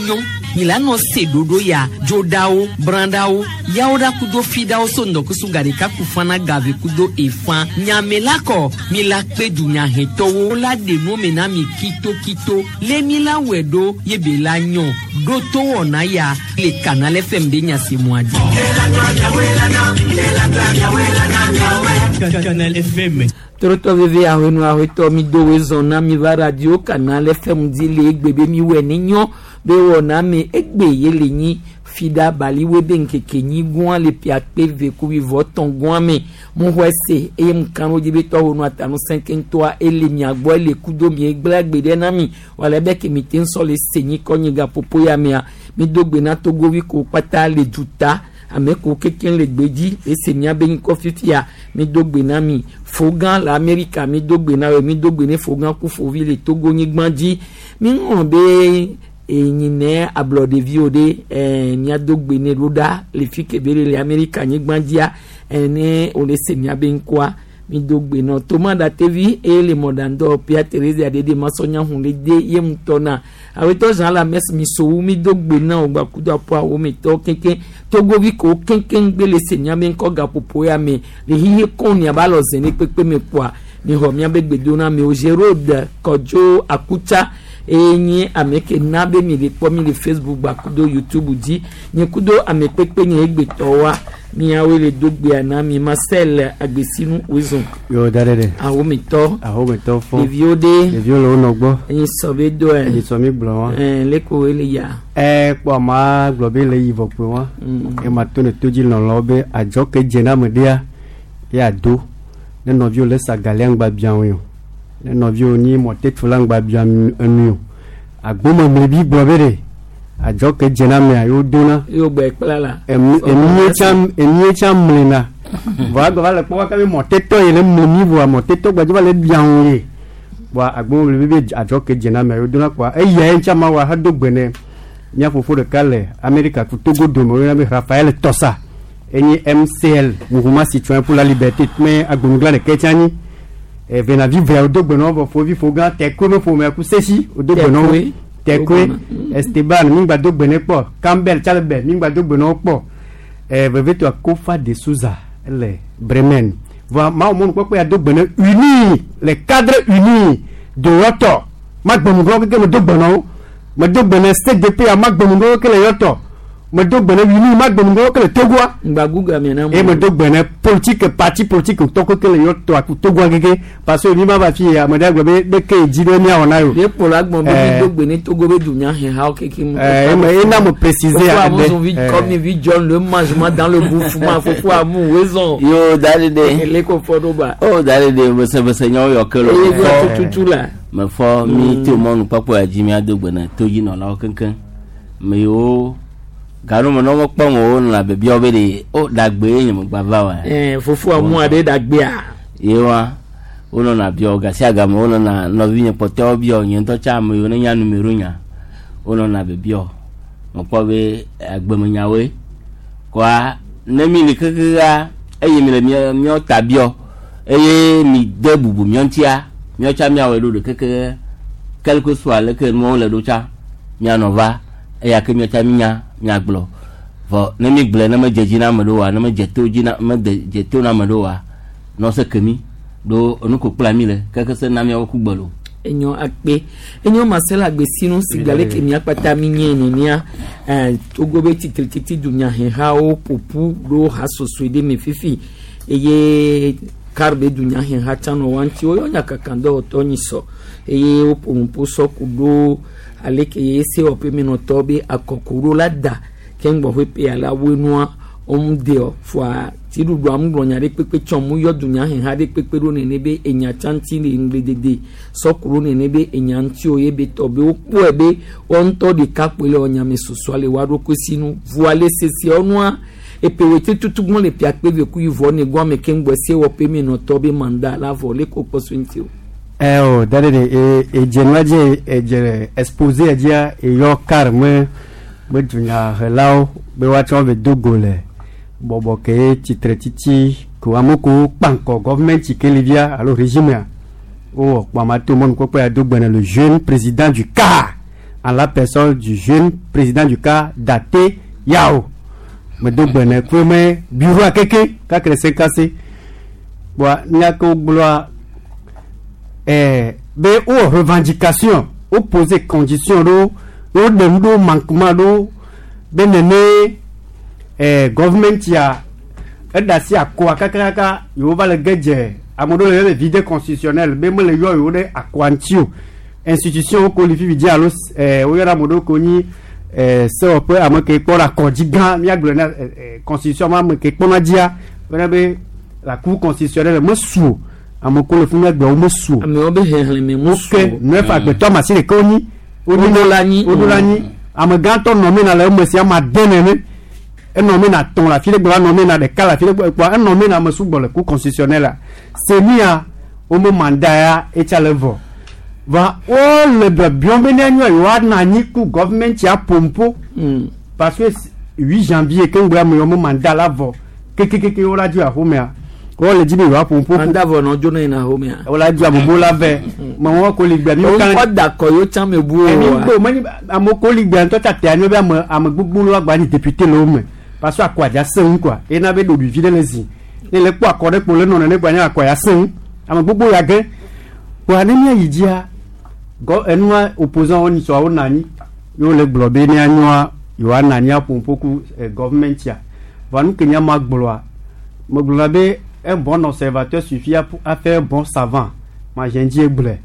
nyɔ mi la nɔ se ɖoɖo ya dzoɖawo brãɖawo yawo ɖa kudo fiɖawo so ŋdɔkusu gaɖeka ku fana gave kudo efã nyame la kɔ mi la kpe dunyahetɔwo la ɖe nuwo me na mi kitokito lé mi la wɔe ɖo ye be la nyɔ ɖo to wɔna ya le Canal FM be nyasemua dzi. Canal FM. Torotɔ veve ahɔenu ahɔetɔ mi do wezɔn na mi va radio Canal FM dzi le egbe be mi wɔ ne nyɔ be wɔna me egbe ye le nyi fida baliwe be nkeke nyi gɔn le piakpe ve kubi vɔ tɔn gɔn me mo xɔe se eye mo kan wo dzi be tɔwo nu atanu sɛnkɛntɔa ele mia gbɔ ele kudo mi egblẽ agbe ɖe na mi wòle be ke mi te ŋsɔ le se nyi kɔ nyi gaƒoƒo ya mea mi do gbe na togovi ko kpata le duta ame ko kekeŋ le gbedzi ese miabe ŋkɔ fifia mi do gbe na mi fogã le Amerika mi do gbe na wo mi do gbe ne fogã ku fovi le Togo nyigba dzi mi ŋlɔ be enyinɛ ablɔɖeviwo ɖe ɛɛ miado gbe ne ɖo ɖa le fi ke be le le Amerika nyigba dzia ɛne wòle se miabe ŋkɔa mi do gbe nɔ toma ɖatevi eye le mɔɖaŋdɔ pia Teresa ɖeɖe masɔnya hun le de ye ŋutɔ na awetɔ zã la mɛs mi sowu mi do gbe na o gba kudo aƒu awo mi tɔ kekeŋ togovi ko kekeŋ gbe le se miabe ŋkɔ gaƒoƒo ya me le hihi kɔn miaba lɔ ze ne kpekpe me kpoa mi xɔ miabe gbedona mi o Gérald Kɔdzo Akutsa eye nye ame ke na be mi le kpɔ mi le Facebook gba kudo YouTube dzi nye kudo ame kpekpe nye egbetɔwoa miawoe le do gbea na mi Marcel Agbesinu wezɔn. Yo da ɖe ɖe. Ahometɔ. Ahometɔ fɔ. Ɖeviwo ɖe. Ɖeviwo le wo nɔ gbɔ. Enyi sɔ be do ɛ. Enyi sɔ mi gblɔ wa. Ɛɛ leko ele ya. Ɛ kpɔ ama gblɔ be le yi vɔ kpe wa. Ema to ne to dzi lɔlɔ be adzɔ ke dze na ame ɖea ya do. Ne nɔviwo le sa galia ŋgba bia wo o. Ne nɔviwo nyi mɔtetfu la ŋgba bia enu o. Agbomemli bi gblɔ be ɖe adzɔ ke dze na amea yewo dona. Yewo gbɛ kpla la. Emie tsã emie tsã mlina. Vɔ agbɔ va le kpɔ kaka be mɔtetɔ yi le mli mi vɔa mɔtetɔ gbadze va le bia wo ye. Vɔa agbomemli bi be adzɔ ke dze na amea yewo dona kpoa eya ye ŋtsã ma wa hedo gbe ne mía fofo ɖeka le Amerika ku Togo dome woyɔna be Raphaël Tɔsa. Enye MCL Mouvement Citoyen pour la Liberté me agbonugla ɖeke tsã nyi. Venavi vea wodo gbe na wo vɔ fovi fogã Tɛkoe me ƒomea ku Sesi wodo gbe na wo. Tɛkoe Esteban mi ŋgba do gbe ne kpɔ Campbell Chalebe mi ŋgba do gbe na wo kpɔ. Vevetɔa Kofa de Souza ele Bremen. Vɔa mawo mɔnukpɔkpɔ ya do gbe ne uni le cadre uni de yɔtɔ magbenuglɔ keke me do gbe na wo. Me do gbe ne CDP ya magbenuglɔ keke le yɔtɔ. Me do gbe ne uni magbenuglɔ keke le Togoa. Ŋgba Google mi na. Et me do gbe ne politique parti politique tɔ keke le yɔtɔ aku Togoa keke parce que mi ma va fi ya me ɖe gblɔ be ɖeke dzi ɖe miawɔ na yo. Ye kplɔ agbɔn be mi do gbe ne Togo be dunyahehawo keke mu. Eme ena me préciser. Fofo amu vi comme vi John le mangement dans le bouffement fofo amu wezɔn. Yo dali de. Ele ko fɔ ɖo ba. O dali de bese nyawo yɔ ke lo. Eye gbɔ tututu la. Me fɔ mi to mɔnu kpɔkpɔ ya dzi mi ado gbe na todzinɔlawo keŋkeŋ. Me yiwo ganu me ne womekpɔ mo wo nɔna biabiawo be ɖe o ɖagbe ye nye megba va wa. Fofo amu aɖe ɖagbea. Ye wa wonɔna biawo gasia game wonɔna nɔvinye kpɔtɔewo biawo nye ŋutɔ tsã ame yiwo ne nya numero nya wonɔna biabiawo. Mekpɔ be agbemenyawoe kɔa ne mi li kekea eye mi le míawo ta biɔ eye mi de bubu míawo ŋutia míawo tsã míawɔe ɖo ɖe keke quelque soit leke nuwo le ɖo tsã míanɔ va eya ke míawo tsã mínya míagblɔ vɔ ne mi gblɔe ne medze dzi na ame ɖewoa ne medze to dzi na mede dze to na ame ɖewoa nɔ se ke mi ɖo enu ko kpla mi le keke se na míawo ku gbe lo. Enyo akpe enyo Marcel Agbesinu sigale ke miakpata mi nye nenia Togo be titrititi dunyahehawo ƒoƒu ɖo hasosoe ɖe me fifi eye kar be dunyaheha tsã nɔ wa ŋuti woyɔ nyakakadɔwɔtɔ nyi sɔ eye woƒo nuƒo sɔ ku ɖo aleke ye sewɔƒe menɔtɔ be akɔkuɖo la da keŋgbɔ ƒe la woe nua woŋu deɔ fɔa dziɖuɖua ŋu gblɔ nya ɖe kpekpe tsɔ mu yɔ dunyaheha ɖe kpekpe ɖo nene be enya tsã ŋuti le ŋgbledede sɔku ɖo nene be enya ŋuti o ye be tɔ be wokpɔe be woa ŋutɔ ɖeka kpoe le wɔnyame susua le woa ɖokui si nu vɔa le seseawo nua epe tutu gbɔn le pia kpe ve ku yi vɔ ne gbɔn ame keŋgbɔ se wɔƒe menɔtɔ be mandat la vɔ le ko kpɔ so ŋuti o. O da de e edze nua dze edze exposé dzia eyɔ kar me be dunyahelawo be woatsɔ ve do go le bɔbɔ ke tsitre tsitsi ko ame ko kpankɔ gɔvmɛnti ke li via alo régime wowɔ kpɔ ama to mɔnukpɔkpɔ ya do gbe ne le jeune président du CAR En la personne du jeune président du cas Date Yao. Medo gbe ne kpe me bureau akeke kakle se kase. Bon, nya ke wogblɔa be wowɔ revendication, wo poser condition ɖo, woɖe nu ɖo manquement ɖo be nene government ya eɖe asi akɔa kakakaka yewo va le ge dze ame ɖewo le yɔ be vide constitutionnel be mele yɔ yewo ɖe akɔa ŋuti o. Institution wo ko li fifi dzi alo woyɔna ame ɖewo ko nyi sewɔƒe ame ke kpɔna akɔdzi gã míagblɔ na constitution ma ame ke kpɔna dzia wona be la cour constitutionnelle mesu o, ame ko le fi míagblɔ wo mesu o. Amewo be xexlẽme mu su ke o. Neuf agbetɔ ame asi ɖeka wonyi. Woɖo la anyi. Woɖo la anyi, ame gãtɔ nɔ me na le eme si ame ade nene enɔ me na tɔn le afi ɖe gbɔ enɔ me na ɖeka le afi ɖe gbɔ kpɔa enɔ me na ame sugbɔ le cour constitutionnelle la semia wome mandat ya etsa le vɔ va wole biɔbiɔm be ne anyo yewoanɔ anyi ku government ya pompo parce que 8 janvier ke ŋgbe ame yewo me mandat la vɔ kekekeke wola dzo axomea wole dzi be yewoa pompo. Mandat vɔ nɔ dzo ne yina xomea. Wola dzo amewo la vɛ mɛ wɔn ko li gbea mi kan Wokɔ da kɔ yewo tsã me bu o. Ɛmi wa. gbɔ menye amewo ko li gbea ŋutɔ ta te anyo be ame ame gbogbo lo agba nyi député le wo me parce que akɔ adza sẽ ŋu quoi ena be ɖoɖoe vi ɖe le zi ne le kpɔ akɔ ɖe kpo le nɔ nene kpo anya akɔ ya sẽ ŋu ame gbogbo ya ge kpoa ne mía yi dzia gɔ enua opposant wo nyisɔ wo nɔ anyi ye wo le gblɔ be ne anyoa yewoanɔ anyi aƒo ƒo ku government ya vɔa nu ke nye ma gblɔa megblɔna be un bon observateur suffit à faire un bon savant ma dze ŋdzi gblɔe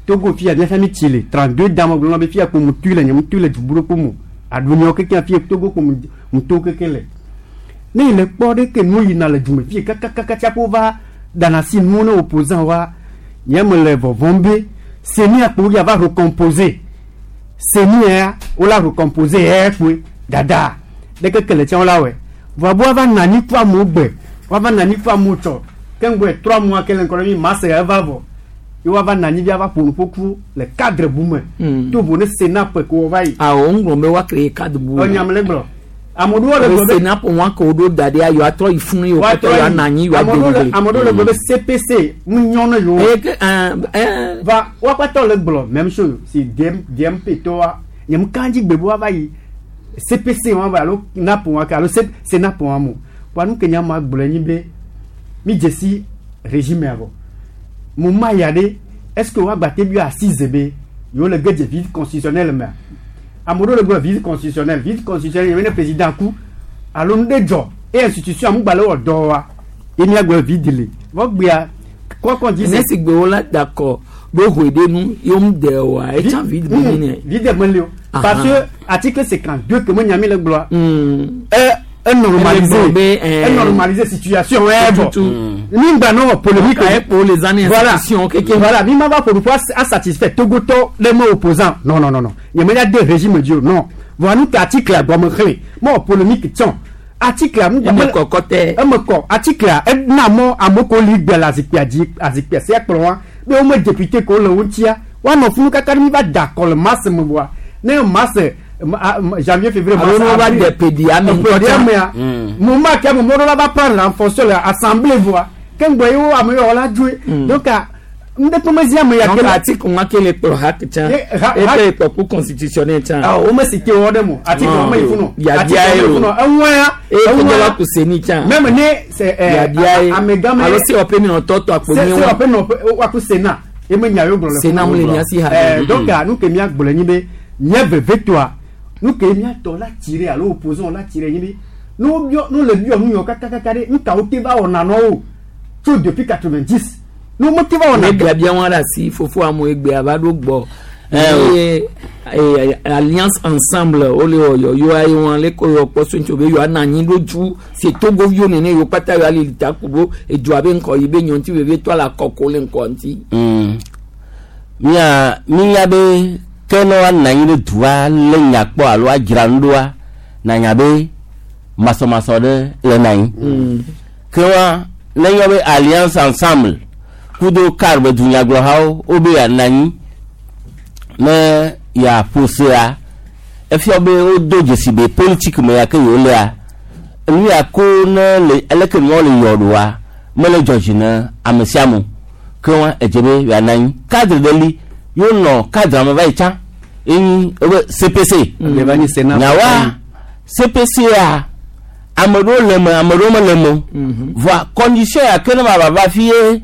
Togo fia míaƒe mi tsi le 32 da megblɔna be fia kpo mu tui le nye mu tui le dubu ɖe kpo mu aɖunyawo kekeŋ fia Togo kpo mu mu to keke le ne yi le kpɔ ɖe ke nu yina le dume fie kakakaka tsaƒo va dana si nuwo ne opposant wa nye me le vɔvɔm be CENI akpo ya va recomposer CENI ya wola recomposer ya kpoe dada ɖeke ke le tsã wola wɔe vɔa be woava nɔ anyi ku amewo gbe woava nɔ anyi ku amewo tsɔ ke ŋgɔe 3 mois ke le ŋkɔ ɖe mi mars ya eva vɔ ye woava nɔ anyi vi ava ƒo nu ƒo ku le cadre bu me to vo ne Sénat ƒe ko wova yi. Awɔ ŋgblɔ be woa créer cadre bu. Enya me le gblɔ ame ɖewo le gblɔ be Sénat ƒo wɔn ke woɖo da ɖe yewoa trɔ yi funu yewo woatrɔ katã yewoa nɔ anyi yewoa ame ɖewo le de ame ɖewo le gblɔ be CPC mu nyɔ ne yewo. Eye ke ɛɛ ɛɛ va woakpatɔ le gblɔ même chose si DM DMP tɔwa nye mu kan dzi gbe be woava yi CPC wɔn va alo NAP wɔn ke alo C CENAP wɔn mo wa nu ke nya ma gblɔ nyi be mi dze si régime ya vɔ mo ma ya ɖe est ce que woagba te bi assise be yewo le ge dze vide constitutionnel mea ame ɖewo le gblɔ vide constitutionnel, vide constitutionnel yewo ne président ku alo nu ɖe dzɔ eye institution amu gba le wɔ dɔ wa ye mia gblɔ vide le vɔ gbea kɔkɔ dzi Ne si gbe wo la da kɔ be hoe ɖe nu yewo mu de oa etsã vide be nyi nɛ. Vide meli o parce que article 52 ke me nya mi le gblɔa e normaliser Ele gblɔ be, e normaliser situation wɛ bɔ Tutu. mi gba nɔ polémique. Ka ye kpo les années Voilà. institution keke. Voilà, mi ma va pour pouvoir a satisfaire Togotɔ le me opposant, non non non non, nye me ya de régime dzi o, non. Voilà, nu ke article a gɔme xlẽ mɔ polémique tsɔn article a mu Eme kɔkɔ tɛ. Eme kɔ article a ena mɔ ame ko li gbe le azikpia dzi azikpia sia kplɔ wa be wo me député ko le wo ŋutia woanɔ funu kaka ne mi va da akɔ le mars me voa ne mars janvier, février, mars, Alo ne wo va avril, de pedia me ŋutɔ pedia tsã. mea moment ke ame mɔɖo la va prendre en fonction le assemblée voa ke ŋgbɔ ye wo ame yɔ la dzoe donc a ŋdekpe mezi ame ya Donc ke la article wa ke le kplɔ ha tsã. Ye- Eke le kplɔ ku constitutionnel tsã. Ah, wo me si te wɔ ɖe mo article Ah. wo me yi funu Yabia article ye wo me yi o. funu eŋua ya Eye ke eŋua de wa ku CENI tsã. même ne c'est Yabia ye. amegã me Alo si wɔƒe mi nɔ tɔtɔ akpo se mi se wa. wɔƒe nɔ woaku Sénat eme nya yewo gblɔ le Sénat funu. mu le mia si ha. Donc nu ke mía gblɔ nyi be nye vevetoa nu ke mía tɔ la tire alo opposant la tire nyi be nu wo biɔ nu le biɔ nu yɔ kakakaka ɖe nu kawo te va wɔna nɔ wo tso depuis 90 nu wo te va wɔna Ne biabia wọn ɖe asi fofo amewo egbea va ɖo gbɔ. Eh, o. Eye alliance ensemble wole wɔ yɔyɔ ye wọn le ko yɔ kpɔ so ŋutsu be yɔ anɔ anyi ɖo dzu si Togoviwo nene yewo kpata yɔ ali ta ku bo edua be ŋkɔ yi be nyɔ ŋuti vevie tɔ le akɔko le ŋkɔ ŋuti. Mía mínya be ke ne woanɔ anyi ɖe dua lé nya kpɔ alo adzra nu ɖoa nanya be masɔmasɔ ɖe le na anyi ke wa ne yɔ be alliance ensemble kudo car be dunyagblɔhawo wobe yeanɔ anyi ne yeaƒo sea efia be wodo dzesi be politique me ya ke yewo lea nu ya ko ne le eleke nuawo le yɔ ɖoa mele dzɔ dzi ne ame sia ame o. Ke wa edze be yeanɔ anyi cadre ɖe li yewonɔ cadre me va yi tsã. Enyi ebe CPC. Ebe va nyi Sénat. Nyawa CPC a ame ɖewo le eme, ame ɖewo mele eme o. Voa condition ya ke ne ma va fi ye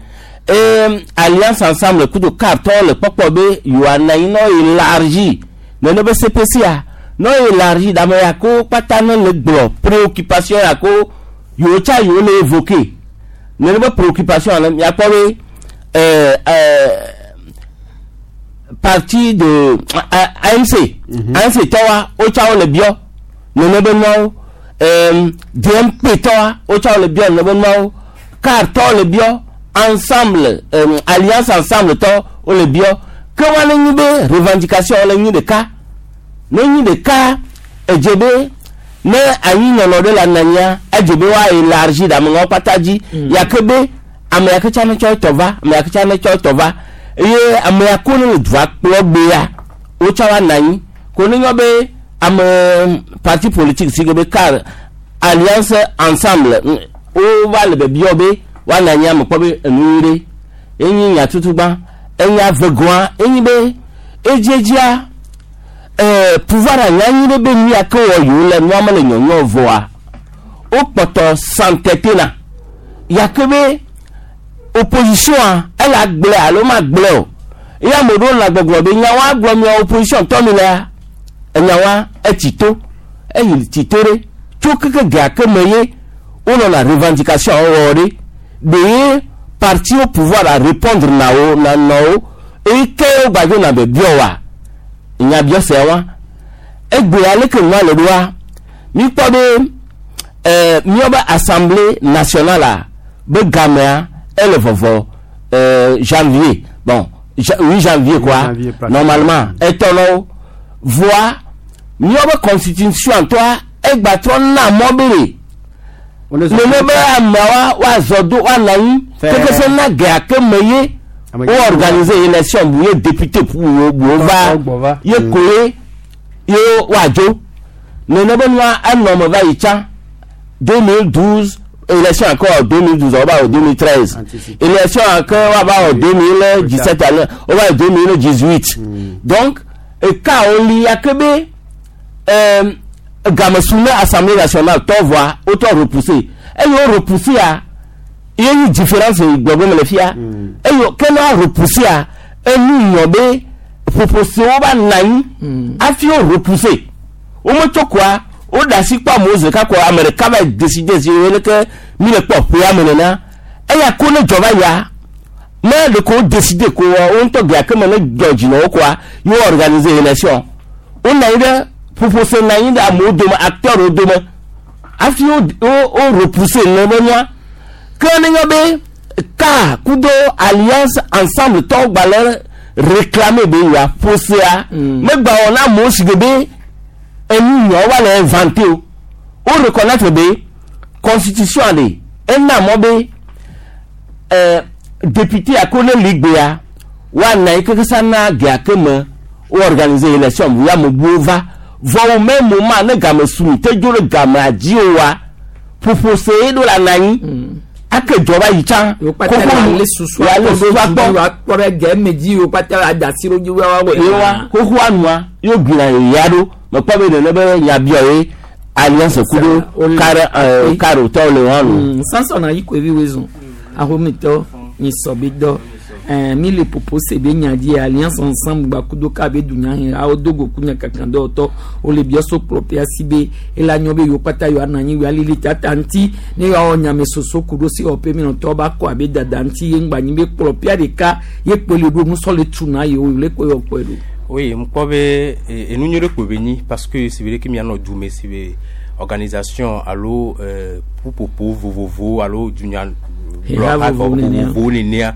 Alliance Ensemble kudo CAR tɔwo le kpɔkpɔ be yewoanɔ anyi ne woélargi nene be CPC a ne woélargi ɖe ame ya ke wo kpata ne le gblɔ préoccupation ya ke wo yewo tsa yewo le évoquer nene be préoccupation le miakpɔ be parti de ANC ANC tɔwa wotsa wo le biɔ nene be nuawo, DMP tɔwa wotsa wo le biɔ nene be nuawo, CAR tɔwo le biɔ, ensemble Alliance Ensemble tɔ wo le biɔ ke wa ne nyi be revendication le nyi ɖeka ne nyi ɖeka edze be ne anyi nɔnɔ ɖe le ananyia edze be wa élargi ɖe ameŋawo kpata dzi ya ke be ame ya ke tsa ne tsɔ etɔ va, ame ya ke tsa ne tsɔ etɔ va eye ame ya ko ne le dua kplɔ gbea wotsa wa nɔ anyi ko ne nyɔ be ame parti politique si ke be CAR, Alliance Ensemble wo va le bebiɔ be woanɔ anyi ame kpɔ be enu nyui ɖe enyi nya tutugbã. Enya vegoa enyi be edziedzia pouvoir anya nyi ɖe be nu ya ke wɔ yewo le nua mele nyɔnyɔ vɔa wokpɔtɔ s'entêter na ya ke be opposition a ele agblẽ alo magblẽ o eye ame ɖewo le gbɔgblɔ be nyawoa gblɔ mia opposition tɔ mi lea enyawoa etsi to eyi tsi to ɖe tso keke gea ke me ye wonɔna revendication wɔ ɖe ɖe ye parti au pouvoir a répondre na wo na nɔ wo eye ke wo gbadzo na be biɔ wa nyabiɔ sia wa egbe aleke nua le ɖoa mi kpɔ be míaƒe Assemblée nationale a be gamea ele vɔvɔ janvier, bon, 8 janvier quoi. Janvier, pratiquement. Normalement etɔnɔwo voa míaƒe constitution tɔa egbatrɔ na mɔ be ɖe nene be ameawa woazɔ do woanɔ anyi keke se na gea ke me ye wo organiser élection bu ye député bu wo va ye koe ye woadzo nene be nua enɔ me va yi tsã 2012 élection encore 2012 on va au 2013 élection encore on va au 2017 on va au 2018. Donc eka woli ya ke be game su ne Assemblée nationale tɔ voa wotɔ repousser eye wo repousser a ye nyi différence gbɔgbɔ me le fia eye ke ne repousser a enu nyɔ be ƒoƒosewo va nɔ anyi hafi wo repousser wometsɔ koa woɖe asi kpɔ amewo zi ɖeka koa ame ɖeka va décider si wo leke mi le kpɔ ƒea me nena eya ko ne dzɔ va ya ne ɖeko wo décider ko wo ŋutɔ gea ke me ne dzɔ dzi na wo koa ye wo organiser élection wonɔ anyi ɖe ƒoƒose nɔ anyi ɖe amewo dome acteurs dome hafi wo repousser ne be nua ke ne nyɔ be ka kudo Alliance Ensemble tɔwo gbalẽ réclamer be yewoa ƒosea megba wɔ na amewo si ke be enu nyɔ wa le inventé o wo reconnaître be constitution le ena mɔ be député ako ne li gbea woana yi keke sa na gea ke me wo organiser élection bu ya me buwo va vɔ wo même moment ne game su mi te dzo ɖe gamea dzi o wa ƒoƒose ye ɖo la na anyi ake dzɔ va yi tsã wo kpata la le susu wa le susu akpɔ wa kpɔ ɖe gɛ me dzi wo kpata la da asi ɖo dzi wa wɔ ye wa xoxoa nua ye gbina ya ɖo mekpɔ be nene be nyabiɔ ye Alliance kudo CAR CAR tɔwo le wɔn nu. Samson ayi koe vi wezɔn ahomitɔ nyi sɔ bi dɔ mi le popo se be nya dzi Alliance Ensemble gba kudo ka be dunya he awo dogo ku nya kankan dɔwɔtɔ wo le biɔ so kplɔ pia si be ela nyɔ be yewo kpata yewoa nɔ anyi yewoa lili tata ŋuti ne yewoawɔ nyame soso ku ɖo si wɔƒe mi nɔtɔ ba kɔ abe dada ŋuti ye ŋgba nyi be kplɔ pia ɖeka ye kpe le ɖo nusɔ le tu na yewo le kpe yɔ kpɔe ɖo. Oui, ŋkpɔ be enu nyuie ɖe kpo be nyi parce que si be ke mianɔ du me si be organisation alo ƒuƒoƒo vovovo alo dunya Heha vovovo nenea. Vovovo nenea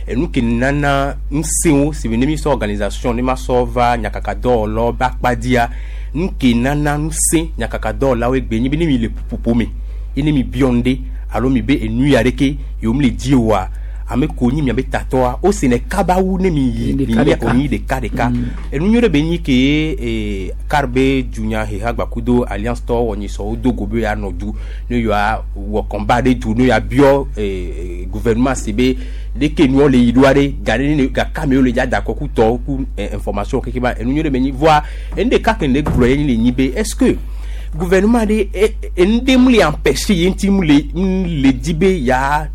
enu ke nana ŋusẽwo si be ne mi sɔ organisation ne ma sɔ va nyakakadɔwɔlawo be akpa dzia nu ke nana ŋusẽ nyakakadɔwɔlawo egbe nyi be ne mi le ƒuƒoƒo me ye ne mi biɔ nu ɖe alo mi be enu ya ɖeke yewo mi le di oa ame ko nyi miabe tatɔa wo senɛ kaba wu ne mi yi mi Ɖeka nye ɖeka. onyi ɖeka ɖeka enu nyuie ɖe be nyi ke CAR be dunya heha gbakudo Alliance tɔ wɔ nyi sɔ wo do go be ya nɔ du ne yewoa wɔ combat ɖe du ne yewoa biɔ gouvernement si be Ɖeke nuwo le yi ɖoa ɖe ga ɖe ne gaka me wole dza da kɔ ku tɔwo ku information keke ba enu nyuie ɖe me nyi voa enu ɖeka ke ne gblɔ ye le nyi be est ce que gouvernement ɖe enu ɖe mu le empêcher ye ŋuti mu le mu le di be ya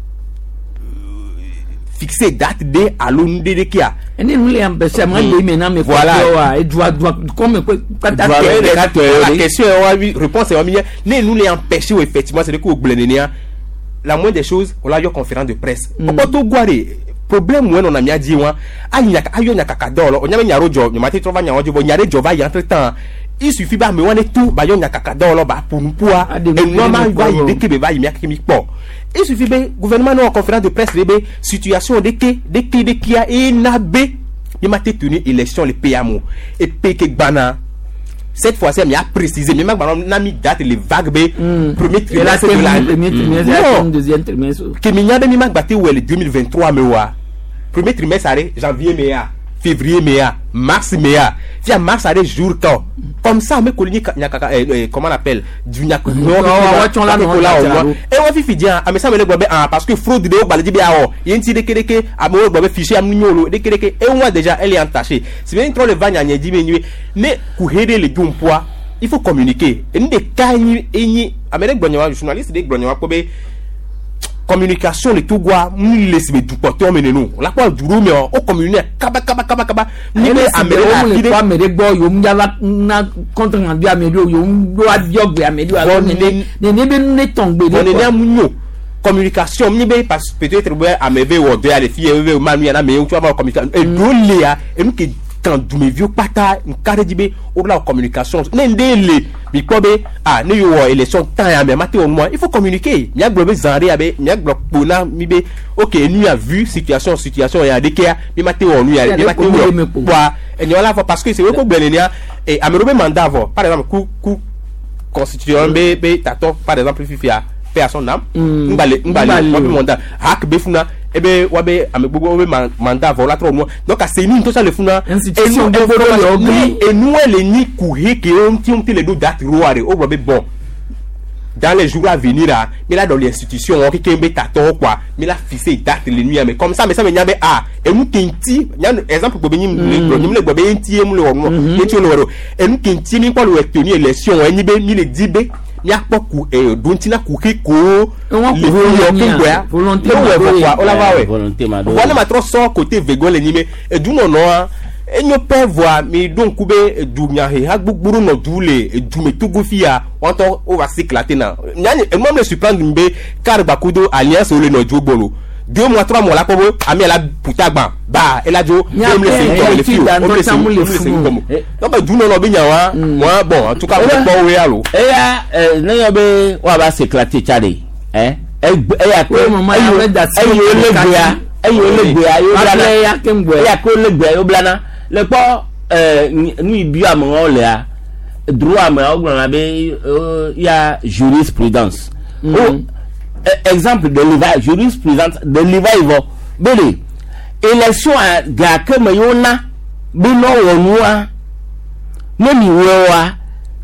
fixer date ɖe alo nu ɖe ɖekea. Ene nu le empêcher ma gbe me na me Voilà. wa edua dua kɔme kpata Dua tɛ. me ɖeka tɔ ye La ɖe. question est wa mi réponse est wa mi ne nous les empêcher effectivement c'est que o gblẽ nenea la moindre des choses on la yɔ conférence de presse. Ɔkpɔ to goa de problème wɛ nɔna mía dzi wa ayi nya ayɔ nyakaka dɔ lɔ o nya be nya ɖewo dzɔ nyɔma te trɔ va nyawo dzi vɔ nya ɖe dzɔ va yi entre temps il suffit be amewo ne to ba yɔ nyakaka dɔ lɔ ba ƒo nuƒoa Aɖe nu enua ma kple va yi nu ɖeke be va yi mía keke mi kpɔ il suffit be gouvernement ne wɔ conférence de presse ɖe be situation ɖeke ɖeke ɖekea ena be mi ma te tenir élection le pays amo epe ke gbana cette fois-ci mi a précisé mi ma gbana na mi date le vague be premier Et la trimestre de la premier trimestre, Non. la deuxième trimestre. ke mi nya be mi ma gba te wɔ le 2023 me wa premier trimestre are janvier me ya février me ya mars me ya fia mars are jour kan comme ça me koli ni nyakaka comment on appelle du nyakaka wa tsɔn la nɔ la dzra wa ɖo. e wa fifi dia ame sia ame le gblɔ be ah parce que fraude de wo gbalẽ dzi be awɔ ye ŋuti ɖekeɖeke amewo gblɔ be fichier am nyo lo ɖekeɖeke e wa déjà elle est entachée si be ŋtrɔ le va nyanya dzi be nyi ne kuhe ɖe le dom poa il faut communiquer enu ɖeka enyi enyi ame ɖe gblɔ nya wa journaliste ɖe gblɔ nya wa kpɔ be communication le Togoa mu le si be dukpɔtɔ me nenu la kpɔ du ɖewo mea wo communiquer kaba kaba kaba kaba ni be ame ɖe le ame afi ɖe ɖe kpɔ ame ɖe gbɔ yewo ŋu va na contre rendu ame ɖewo yewo ŋu ɖo abiɔ gbe ame ɖewo alo Vɔ nene nene be nu ne tɔn gbe vɔ ɖe nenea mu nyo communication mi be parce peut-être be ame ve wɔ dɔ ya le fi ye ve ma nu ya na ame ye ŋutsu ava wɔ communication eɖewo lia enu ke kan dumeviwo kpata nka ɖe dzi be wo la wɔ communication ne ŋɖe le mi kpɔ be ah ne yewo wɔ élection tan ya mɛ ma te wɔ nua il faut communiquer miagblɔ be zan ɖe ya be miagblɔ kpo na mi be ok nu ya vu situation situation ya ɖekea mi ma te wɔ nu ya Ya mi ma ɖe te ko wɔ mi kpo. kpoa enyewo la vɔ parce que c'est wo ko gblɔ nenea et ame ɖewo be mandat vɔ par exemple ku ku constitution be be tatɔ par exemple fifia paix à son âme ngbale ngbale Ngbale wa be o. mandat hak be funa ebe wa be ame gbogbo be mandat vɔ la trɔ nua donc ase ni ŋutɔ le funa Institution gbogbo ɖewo le wo gli. enue le nyi kuhe ke wo ŋuti ŋuti le ɖo date roa ɖe wo gblɔ be bon dans les jours à venir là mi la dans les institutions wɔn keke be tatɔwo quoi mi la fixer date le nu ya me comme ça me sa me nya be ah enu ke ŋuti nya exemple gblɔ be nyi le gblɔ nyi mi le gblɔ be ŋuti ye mu le wɔ nua ŋuti le wɔ ɖo enu ke ŋuti mi kpɔ le wɔ tenu élection wɔ enyi be mi le di be miakpɔ ku ɖo ŋuti na kuxi kowo Ewɔn le ku fi yɔ volonté keŋgbɔa volonté ne wɔ ma vɔ kɔa wola va Eh, wɔe volonté ma ɖo. vɔ ne ma trɔ sɔ côté vego le nyi me edunɔnɔa enyo pɛ vɔa mi ɖo ŋku be edunyaheha gbogbo ɖo nɔ du le edume Togo fia wɔntɔ wo va s'éclater na nya enua me le surprendre mi be car gbakudo alliance wo le nɔ dzo gbɔ lo 2 mois 3 mois la kpɔ be ame la puta gbã ba ela dzo Nya wo me le se pɛ, ŋgɔme le fi o da wo me le ŋutɔ se tsã mu le wo me le se funu. ŋgɔme Eh. donc edunɔnɔ be nya wa moi bon en tout cas mo kpɔ wo ya lo. eya ne yɔ be woava s'éclater tsa ɖe ɛ egbe eya ko Oui, maman, eyi ya be da si eyi wo le ɖeka gbea dzi. eyi wo le gbea ye wo Wable blana ya keŋgbɔe. eya ko le gbea ye wo blana le kpɔ nu yi bi amewo lea droit amewo gblɔna be ya jurisprudence o exemple de leva jurisprudence de leva yi vɔ be le élection a gake me yewo na be ne wɔ nua ne mi wɔe wa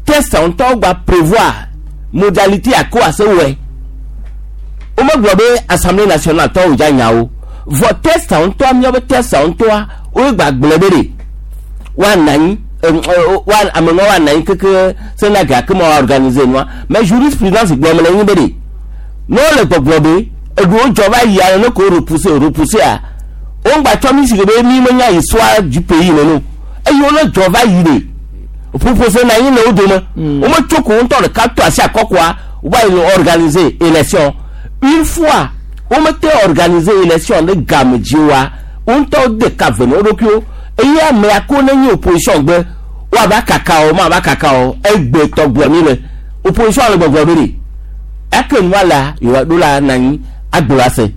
test ŋutɔ gba prévoir modalité ako ase wɔe womegblɔ be assemblée nationale tɔwo dza nyawo vɔ test ŋutɔ míaƒe test ŋutɔa woe gba gblẽ be ɖe woanɔ anyi wa ame ŋua woanɔ anyi keke sena gake ma wa organiser nua mais jurisprudence gblɔm le nyi be ɖe ne wole gbɔgblɔ be eɖewo dzɔ va yia ne ko repousser repousser a wogba tsɔ mi si ke be mi menya histoire du pays nene o eye wole dzɔ va yi ɖe proposé na anyi le wo dome wometso ko ŋutɔ ɖeka to asi akɔkɔa wova yi le organiser élection une fois womete organiser élection ɖe game dzi oa wo ŋutɔ de ka ve na wo ɖokuiwo eye amea ko ne nye opposition gbe woava kaka o mava kaka o egbe tɔgblɔ mi le opposition le gbɔgblɔ be ɖe eke nua la yewoa ɖo la na anyi agblɔ ase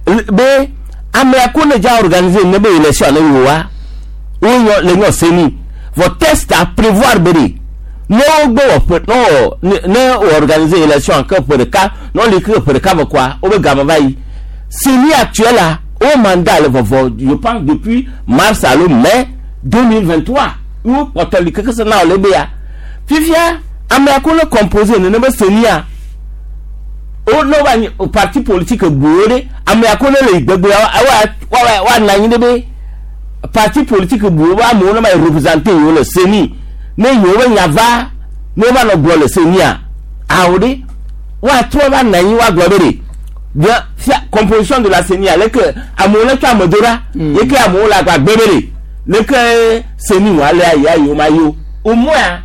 be amea ko ne dza organiser ne be élection ne yewoa wonyɔ le nyɔ seni vɔ test a prévoir be ɖe ne wogbe wɔ ƒe ne wɔ ne wɔ organiser élection ke ƒe ɖeka ne wole ke ƒe ɖeka vɔ kɔa wobe game va yi CENI actuel la wo mandat le vɔvɔ je pense depuis mars alo mai 2023 wo kpɔtɔ li keke se na wòle be ya fifia amea ko ne composé nene be CENI a O ne va nyi parti politique buwo ɖe ame ya ko ne le gbegbe wa wa wa na anyi ɖe be parti politique buwo be amewo ne va yi représenter yewo le CENI ne yewo be nya va ne va nɔ gblɔ le CENI-a awo ɖe woatrɔ va na anyi woagblɔ be ɖe bien fia composition de la CENI leke amewo ne tsɔ ame do ɖa ye ke amewo le agbagbe be ɖe leke CENI wɔ alea ya yewo ma yi o au moins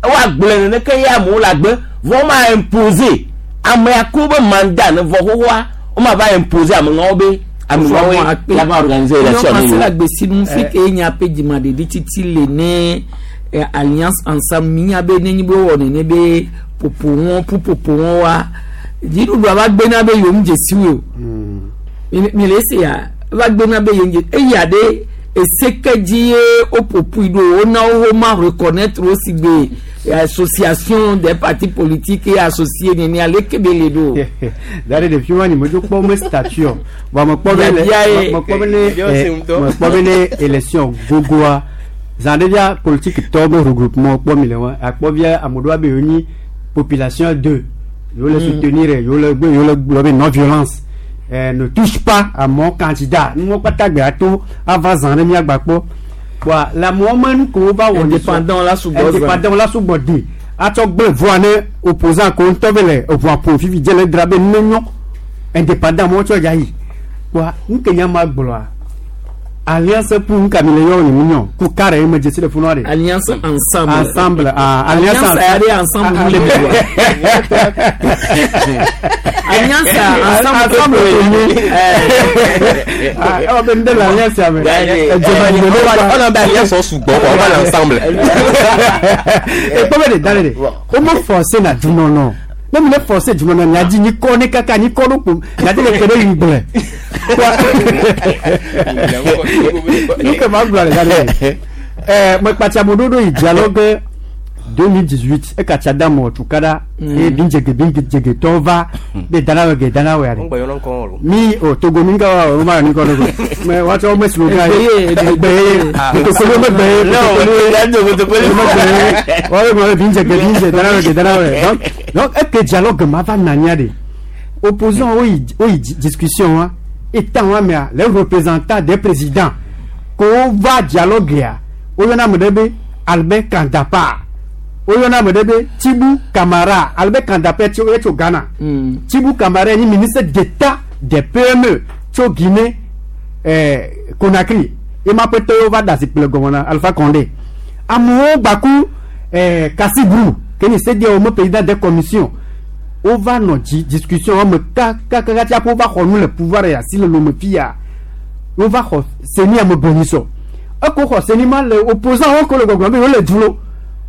woagblɔe neneke ye amewo le agbe vɔ woma imposer ame ya ko be mandat ne vɔ xoxoa woma va imposer ame ŋawo be ame ŋawoe la va organiser élection ne yewo. yewo. Agbesi nu fi ke nya pe dzimaɖeɖi titi le ne alliance ensemble mi nya be nenyi be wɔ nene be ƒoƒo wɔn ƒuƒoƒo wɔn wa dziɖuɖua va gbena be yewo ŋu dzesi wo mi le esi ya va gbena be yewo ŋu dze eya ɖe ese ke dzi ye woƒoƒui ɖo wona wo ma reconnaître wo si gbe association des partis politiques et associés nene aleke be le ɖo. Dare ɖevi wa ni medzo kpɔ me statut o vɔ mekpɔ be le Biabia ye. mekpɔ be ne Biabia se ŋutɔ. mekpɔ be ne élection gogoa zã ɖe via politique tɔwo be regroupement kpɔ mi le wa akpɔ via ame ɖewo be yewo nyi population deux yewo le soutenir yewo le gbe yewo le gblɔ be non violence ne touche pas à mon candidat nuwo kpata gbe ato ava zã ɖe miagba kpɔ wa le amewo me nu ko wova wɔ Indépendant la sugbɔ zã. indépendant la sugbɔ di atsɔ gblẽ voa ne opposant ko ŋutɔ be le eʋua ƒom fifi dze le dra be ne nyɔ indépendant mo tsɔ dza yi wa nu ke nya ma gblɔa alliance pour nu ka mi le yɔ ne mi nyɔ ku kare ye me dzesi le funua de Alliance ensemble. ensemble ah alliance Alliance ya ɖe ensemble Ah, mi le wa. Alliance ensemble ensemble ke ke nye ah ewɔ be nu ɖe le alliance ya me edzɔba yi ne wa On a be alliance sugbɔ quoi, on va l'ensemble. ekpɔ be de da ɖe de wo me forcé na dunɔnɔ ne mi le forcé dunɔnɔ nya dzi nyi kɔ ne kaka nyi kɔ ɖo kpo nya dzi le ke ɖe yi gblẽ nu ke ma gblɔ le da ɖe ɛɛ mekpatsa mo ɖoɖo yi dialogue 2018 ekatsa da mɔ tukara eye bindzege bindzege tɔwo va be dana wɔ ge dana wɔ ya On ɖe gbɔ yɔrɔ ŋkɔ o. mi o togo mi ka wa o ma ni kɔ dogo mɛ watsɔ wo me slogan ye Egbe ye, egbe ye kotokoli me gbe ye kotokoli wọ́n gbọ́dọ̀ bí n jẹ bí n jẹ dáná rẹ̀ dáná rẹ̀ donc donc eke dialogue ma va nania de opposant o yi o yi discussion wa etan wa mea les représentants des présidents ko va dialogue ya o yɔna ame ɖe be Albert Kandapa o yɔna ame ɖe be Tibu Kamara Albert Kandapa tso etso Ghana Tibu Kamara ye nyi ministre d'État des PME tso Guinée Conakry ema ƒe tɔwo va da zikpui le gɔme na Alpha Condé amewo gbaku Kasibru ke nyi CEDEAO me président des commissions wova nɔ dzi discussion wɔme kakakaka tsi aƒe wova xɔ nu le pouvoir ya si le lome fi ya wova xɔ CENI ame gbɔnyisɔ eko xɔ CENI ma le opposant wo ko le gbɔgblɔm be yewo le dzulo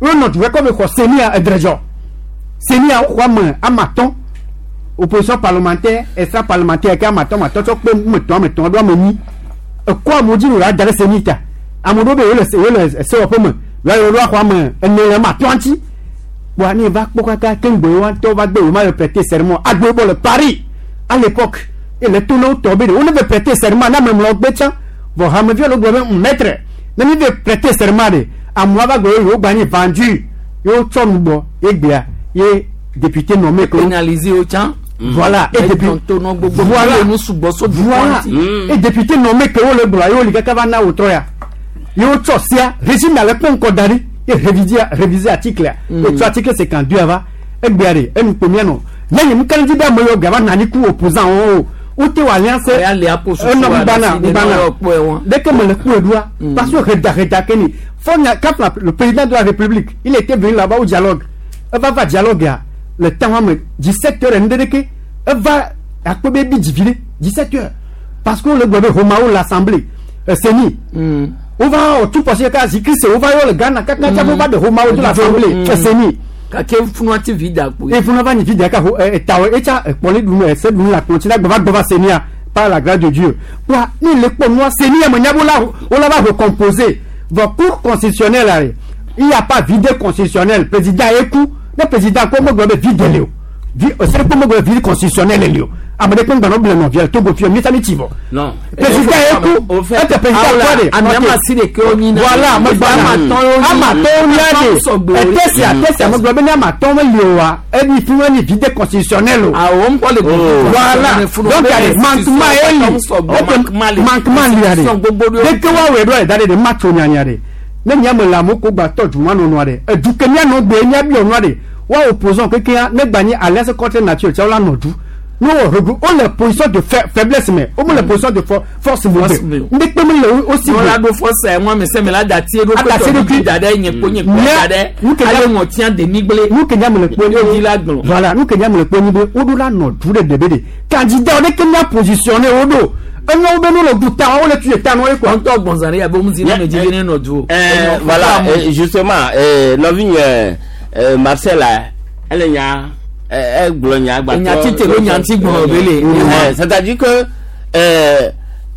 wonɔ du kɔ be xɔ CENI a edredzɔ CENI a woxɔ ame ame atɔ̃ opposition parlementaire extra parlementaire ke ame atɔ̃ ame atɔ̃ tsɔ kpe ame etɔ̃ ame etɔ̃ ɖo ame enyi ekɔ amewo dzi wòle ada ɖe CENI ta ame ɖewo be yewo le yewo le sewɔƒe me yewo ɖo axɔ ame ene le ame atɔ̃ ŋuti kpoa ne va kpɔ kaka ke ŋgbe wa ŋutɔ va gbe wo ma le prêter serment agbe bɔ le Paris à l'époque et le to ne wo tɔ be de wo ne ve prêter serment na ame mlɔ gbe tsã vɔ hameviwo le gblɔ be maître ne mi ve prêter serment de amewo va gbe yewo gba nyi vendu yewo tsɔ nu gbɔ ye gbea ye député nommé ko Pénaliser wo tsã. voilà et député Tonɔ gbogbo Voilà. nu sugbɔ so dukɔ voilà ŋuti. et député nommé ke wo le gblɔ yewo li kaka va na wòtrɔ ya yewo tsɔ sia régime ale kpɔ ŋkɔ da ɖi ye réviser réviser article ya ye tsɔ article 52 ava egbea de enu kpo mianɔ ne nye nu kɛlɛ dzi be ame yiwo gava nani ku opposant wo o wote wɔ alliance Oya le apo susu enɔ wa ŋgbana ɖe si ne ŋgbana nɔ kpɔe wɔn. dès que me le kpɔe ɖoa parce que reda reda ke ni fɔ nya quand le président de la république il était venu là-bas au dialogue eva va dialogue ya le temps wa me 17 heures ŋɖe ɖeke eva akpɔ be bi dzivi ɖe 17 heures parce que wole gblɔ be homawo l'assemblée CENI wova wɔ tout possible kaka zikrise wova yɔ le Ghana kaka tsa wova de homawo de l'assemblée CENI Gake funua ti vi da kpoe. efuna va nyi vi ɖeka ho etawo etsa ekpɔli ɖu ese ɖu la kplɔ tsi la gbɔva gbɔva CENI par la grâce de Dieu wa ni le kpɔ nua CENI me nya be wola wola va recomposer vɔ cour constitutionnelle la il y a pas vide constitutionnel président ye ku ne président ko me gblɔ be vide le o Vi ese ɖe kpe megbe vide constitutionnel le li o. Ame ɖe kpe ŋgba nɔ ble nɔvia le Togo fia mi tsi vɔ. Non. Président ye ku Au fait, ete président kɔ de. Ami ama si ɖeke wo nyi na. Voilà, megba Ama atɔ̃ wo nyi. Ama atɔ̃ nya de. Sɔgbe o. Etesia tesia megblɔ be ne ama atɔ̃ meli o wa eni fi eni vide constitutionnel o. Awɔ ŋkɔ le Oh. Voilà. Donc ale manquement ye li. Manquement li. Manquement li ya de. Gbogbo ɖewo. Deke wa wɛ ɖo da de de matso nyanya de. Ne nya me le amewo ko gba tɔ duma nɔnɔa de. Edu ke mía nɔ gbe mía biɔ nua de. Wa opposant keke ya ne gba nyi alliance contre nature tsa wo la nɔ du. Ne wo regroupe wo le position de faiblesse mɛ wo me le position de force mo Force be. me. Ndekpe mi le wo si Wọn be. la ɖo fɔsa ŋu ame sɛmɛ la dati eɖo Adati eɖokui. da ɖe nye kpo nye kpo Mía- da ɖe nu ke ale nya- ŋɔtia de migble. Nu ke nya me le kpɔ Yóò di la gblɔ. Voilà, nu ke nya me le kpɔ nyi be wo ɖo la nɔ du ɖe ɖe be de. Candidat ɖe ke mía positionné wo ɖo. Enyo be nu le du ta wo le tu ta nɔ ye quoi. Wọn tɔ gbɔnzan ɖe yabe ŋuti ne me dzi be ne nɔ du o. Voilà, justement, nɔvinye Marcel a, ele nya egblɔ nya gba. Enya tite ɖo nya ŋuti gblɔ be le. C'est-à-dire que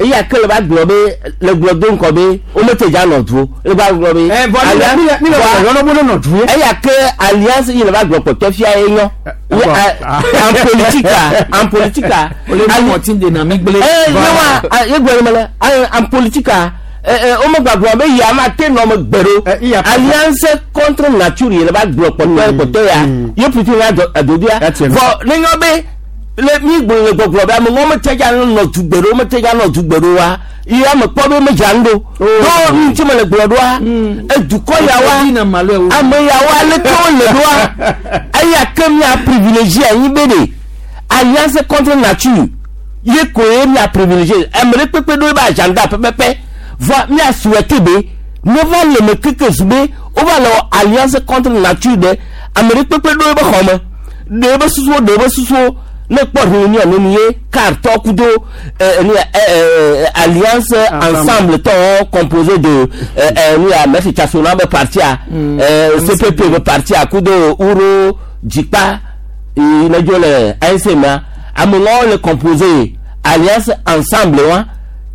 eya ke le va gblɔ be le gblɔ do ŋkɔ be womete dza nɔ du o. Le va gblɔ be. Vɔ mi le mi le Voa- yɔnɔ bo ne nɔ du ye. eya ke alliance yi le va gblɔ kpɔtɔ fia ye nyɔ. Eh, Ye, bon. En politique en politique O le nu ŋɔti de na migble. ne wa ye gblɔ me le en politique womegba gblɔ be ya ma te nɔ me gbe ɖo Eh, iya. Alliance contre nature yi le va gblɔ kpɔtɔ kpɔtɔ ya ye plutôt ya adodoa Ya tiɛ. vɔ ne nyɔ be le mi gblɔ le gbɔgblɔ be ame ŋɔ mete dza nɔ du gbe ɖo mete dza nɔ du gbe ɖo wa ye ame kpɔ be medza nu ɖo ɖo nu ŋuti me le gblɔ ɖoa edukɔ ya wa Ɔdi na malo ewo. ame yawo aleke wole ɖoa eya ke mía privilégié anyi be de alliance contre nature ye ko ye mía privilégié ame ɖe kpekpe ɖo ebe agenda pɛpɛpɛ vɔ mía souhaité be ne va le me keke zu be wova le wɔ alliance contre nature ɖe ame ɖe kpekpe ɖo ebe xɔ me ɖe ebe susuwo ɖe ebe susuwo ne kpɔ réunion nenu ye car tɔ kudo nu ya alliance Ensemble. Ensemble tɔwo composé de nu ya maître Tchasona be parti a CPP be parti a kudo Uro Djikpa ne dzo le ANC mea amewo le composé alliance Ensemble wa.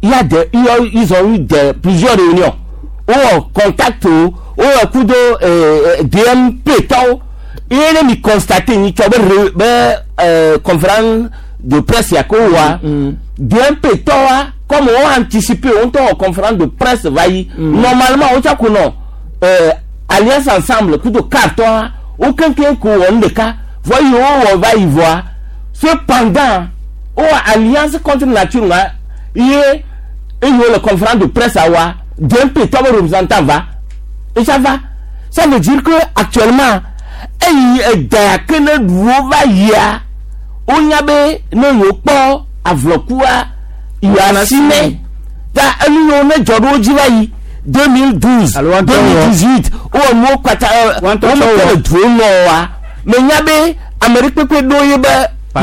Il y a des ils ont eu des plusieurs réunions wowɔ contact o wowɔ kudo DMP tɔwo ye ne mi constaté ni tsɔ be conférence de presse ya ko wa DMP tɔwa comme wo anticiper wo ŋutɔ wɔ conférence de presse va yi normalement wo tsa ko nɔ alliance Ensemble kudo car tɔwa wo keŋkeŋ ko wɔ nu ɖeka vɔ yi wo wɔ va yi vɔa cependant wo wɔ alliance contre nature ŋa ye eye wo le conférence de presse awa DMP tɔ be représentant va et ça va. Ça veut dire que actuellement eyi edea ke ne ɖuwo va yia wonya be ne yewo kpɔ avlɔkua yewoa si ne ta enu yiwo ne dzɔ ɖo wo dzi va yi 2012 Alo woantɔ wɔ. 2018 wowɔ nuwo kpata Woantɔ womete tsɔ wɔ. le duwo nɔ wa menya be ame ɖe kpekpe ɖo ye be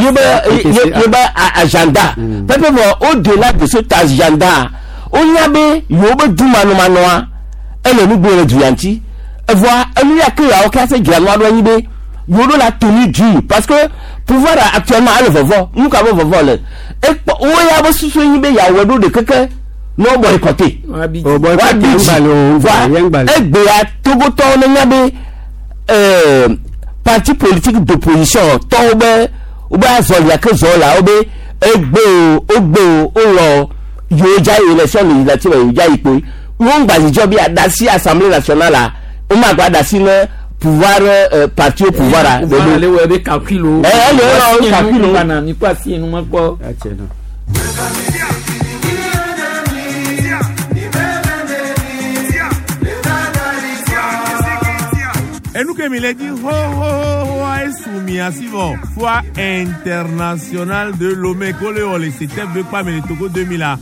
ye be ye be agenda pɛpɛ vɔ au delà de cet agenda wonya be yewo be du manɔmanɔa ele nu gblẽ le du ya ŋuti evɔa enu ya ke yawo ke ase dzra nua ɖo anyi be yewo ɖo la toni dui parce que pouvoir actuellement ele vɔvɔ nu ka be vɔvɔ le ekpɔ wo ya be susu nyi be yeawɔe ɖo ɖe keke ne wo boycotté Wabi. O boycotté wabi dzi ŋgbalẽ o, vɔa ŋgbalẽ, ŋgbalẽ. egbea Togotɔwo ne nya be parti politique d'opposition tɔwo be wobe azɔlia ke zɔ la wo be egbe o wogbe o wolɔ yewo dza yi élection législative yewo dza yi kpoe wo ŋgbadzidzɔ bi adasi assemblée nationale la wo ma gba adasi ne pouvoir parti au pouvoir a Pouvoir ale wɔ ebe calcul o. Eh, ele wɔ Asi calcul o. enu mi kɔ asi enu ma kpɔ. Ya tiɛ nɔ. Enuke mi le di ho ho ho ho a esu mi asi vɔ foire internationale de Lomé ko le wɔ le CTF de kpame le Togo 2000 a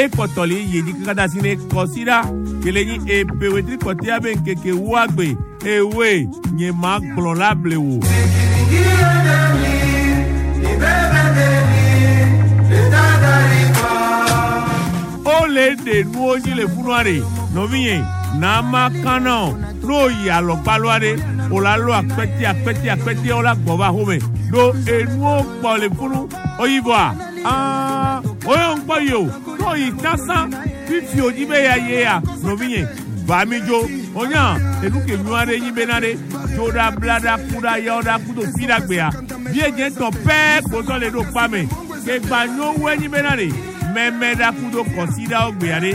ekpɔtɔ le yi dzi kaka da si ne kɔsi ɖa kele nyi epe wetri kɔtɛa be ŋkeke wuagbe ewoe nye ma gblɔ la blewo. Ó lè dè nuwo dzi le funua ɖe nɔvinye nama kana o n'o yi alɔgbaloa ɖe o la lɔ akpɛtɛ akpɛtɛ akpɛtɛ o la gbɔ va xɔme ɖo enuwo kpɔ le funu o yi vɔa aa o yɔ ŋkpɔ yi o n'o yi tasan fifi o dzi be ya ye ya nɔvinye va mi dzo o nya enu ke nyua ɖe nyi bena ɖe. Dzoɖa, blaɖa, kuɖa, yawoɖa kudo fiɖagbea. Biedze tɔn pɛɛ kpozɔ le ɖo kpame. Kegba nyo wu enyi bena ɖe mɛmɛɖa kudo kɔsiɖawo gbea ɖe.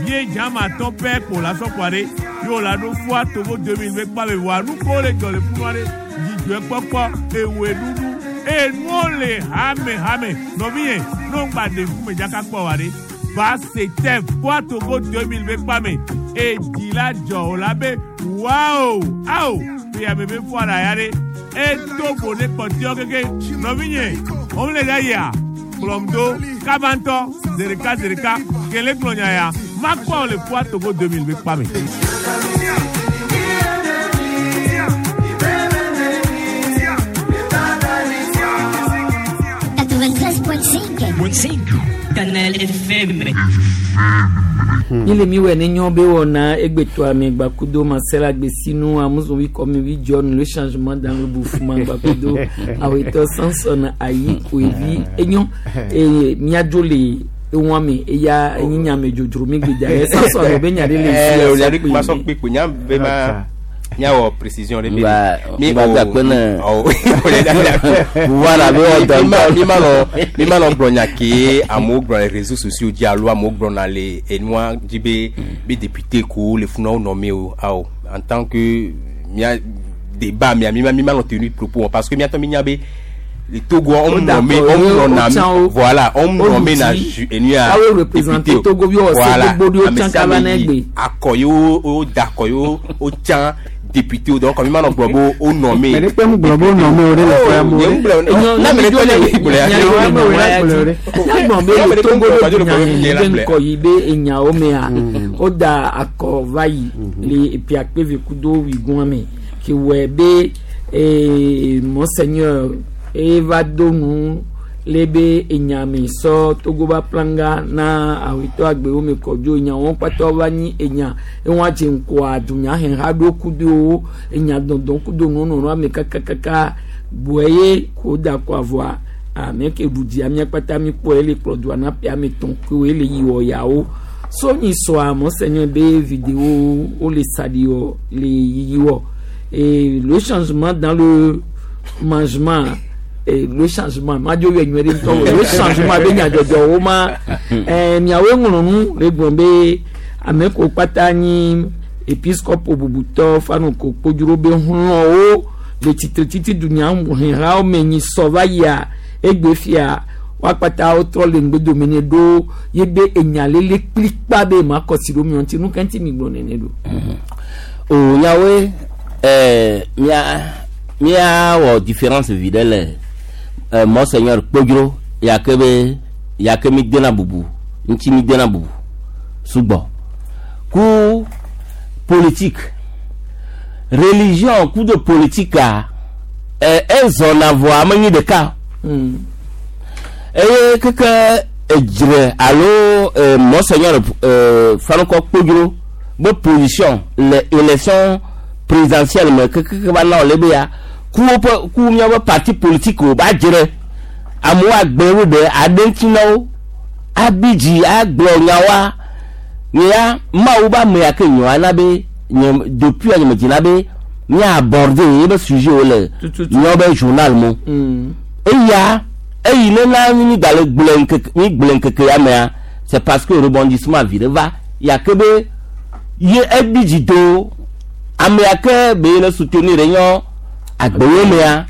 Biedze ama atɔ̃ pɛɛ kpo la sɔkɔa ɖe. Ye la ɖo Foire Togo 2000 be kpame voa nuko le dzɔ le funua ɖe. Dzidzɔe kpɔkpɔ, ewoe ɖuɖu, enuwo le hame hame. Nɔvinye, ne ŋgba de ŋkume dzaka kpɔ wa ɖe. Va c'était Foire Togo 2000 be kpame. Edzi la dzɔ o la be wow awo ƒe be foire ya ɖe. Eto bo ne kpɔtiɔ keke. Nɔvinye, wo le ɖe yia. Kplɔm do kabantɔ zereka zereka kele gblɔ nya ya makpɔ le Foire Togo 2000 be kpame. Canal FM. Yele mi wɛ ne nyɔ be wɔna egbetɔa me gbakudo masela gbesinu amuzovi kɔmi vi John le changement dans le bouffement gbakudo awetɔ Samson ayi koevi enyo eye miadzo le ewọn me eya enyinyame dzodzro mi gbedza yɛ Samson be nya ɖe le Eh, si o nya ɖe ma sɔ kpe ko nya be ma nya wɔ précision ɖe be Ngba gba kpe ne- ɔ o le da Voilà, be wɔ dɔ ŋutɔ. mi ma nɔ mi ma nɔ gblɔ nya ke amewo gblɔ le réseaux sociaux dzi alo amewo gblɔna le enua dzi be be député ko le funa wo nɔ o awɔ en tant que mia débat mia mi ma mi ma nɔ tenu propos parce que miatɔ mi nya be le Togo on O nommé d'accord, on o nɔna tsã wo. voilà on O nommé na dzi. ju enua Awo représenter Togo bi wɔ se gbogbo ɖe wo ame tsã sia kaba ame na yi egbe. akɔ ye wo wo da akɔ ye wo wo tsã député o donc mi ma nɔ gblɔ be wo nommé Mais ne kpe mu gblɔ be wo nɔ me o ɖe le ƒea mo nye ɖe. ŋgblɔ na me ɖe tɔ nye gblɔ ya nyagbɔn be le Togo ɖo dunyahehe be ŋkɔ yi be enyawo mea woda akɔ va yi le epiakpevi kudo wigun me ke wɔe be monseigneur eva do nu le be enyame sɔ Togo ba planga na awetɔ agbewo me kɔdzo enyawo kpata va nyi enya ewọn dze ŋkɔa dunyaheha ɖo kudo enya dɔndɔn kudo nunɔnɔ ame kakakaka bɔe ye ko da kɔ avɔa ame ke ɖu dzia mía kpata mi kpɔ ele kplɔ dua na ƒe ame tɔn koe le yi wɔ yawo sɔnyi sɔa monseigneur be vidéo wo le saɖi wɔ le yiyi wɔ et le changement dans le mangement et le changement madzo yɔ nyuie ɖe ŋutɔ o le changement be nyadzɔdzɔwo ma miawoe ŋlɔ nu le gblɔ be ame ko kpata nyi episcopo bubutɔ fanoko kpodzro be hlɔ̃wo le tsitretiti dunyahehawo me nyi sɔ va yia egbe fia woakpata wotrɔ le ŋgbedome ne ɖo ye be enyalele kplikpa be ma kɔsi ɖo miɔ ŋuti nu ka ŋuti mi gblɔ nene ɖo. O nyawoe mia miawɔ différence vi ɖe le monseigneur Kpodzro yake be yake mi dena bubu ŋuti mi dena bubu sugbɔ ku politique religion ku de politique a ezɔna vɔa menyi ɖeka eye keke edzre alo monseigneur Fanukɔ Kpodzro be position le élection présidentielle me keke va na wòle be ya ku woƒe ku míaƒe parti politique wo ba dzre amewo agbe wo ɖe aɖe ŋuti na wo abi dzi agblɔ nyawoa nye ya mawu be ame ya ke nyɔ ana be nye depuis nye me dzina be mía aborder ye be sujet wo le Tututu. míawo be journal mo eya eyi ne na mi gba le gblẽ ŋkeke mi gblẽ ŋkeke ya mea c'est parce que rebondissement vi ɖe va yake be ye ebi dzi do ame ya ke be le soutenir nyɔ agbewo mea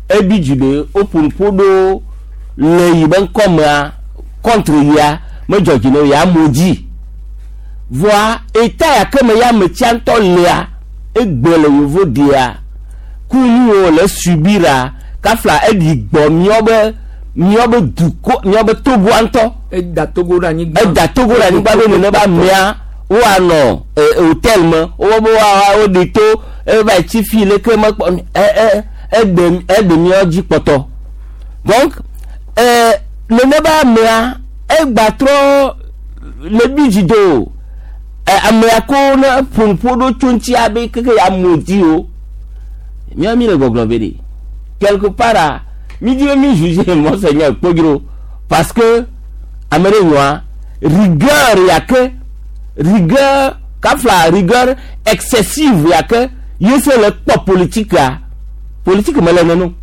ebi dzi be woƒo nuƒo ɖo le yi be ŋkɔ mea contre yia medzɔ dzi ne o ya amewo dzi voa eta ya ke me ya ame tsia ŋutɔ lea egbe le yevo dia ku nuwo le subira kafla eɖi gbɔ míawo be dukɔ míawo be Togoa ŋutɔ eda Togo ɖe anyigba. Eda Togo ɖe anyigba be nene be amea woanɔ hôtel me wo be woa woɖi to eva tsi fi leke mekpɔ ɛ ɛ eɖe eɖe míawo dzi kpɔtɔ donc nene be amea egba trɔ le bi dzi do amea ko ne ƒo nuƒo ɖo tso ŋutia be keke ya mo dzi o míawo mi le gbɔgblɔ be de quelque part a mi di be mi juge monseigneur Kpodzro parce que ame ɖe nyɔa rigueur ya ke rigueur kafla rigueur excessive ya ke Yesu le kpɔ politika politique mele nenu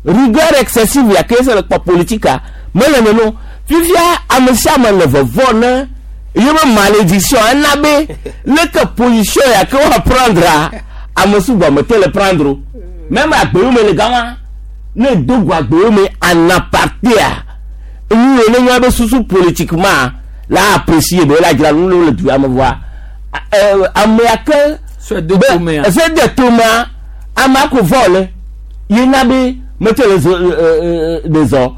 rigueur excessive ya ke yesu le kpɔ politika mele nenu fifia ame sia ame le vɔvɔ ne yebe malédiction ena be leke position ya ke woa prendra ame sugbɔ mete le prendre o même agbewo me le gama ne do go agbewo me en aparté-a nu yi ne nyɔ be susu politiquement la apprécier be la dzra nu le du ame vɔa amea ke Sɔe do tomea. se de tomea amea ko vɔ le yina be mete le zɔ le zɔ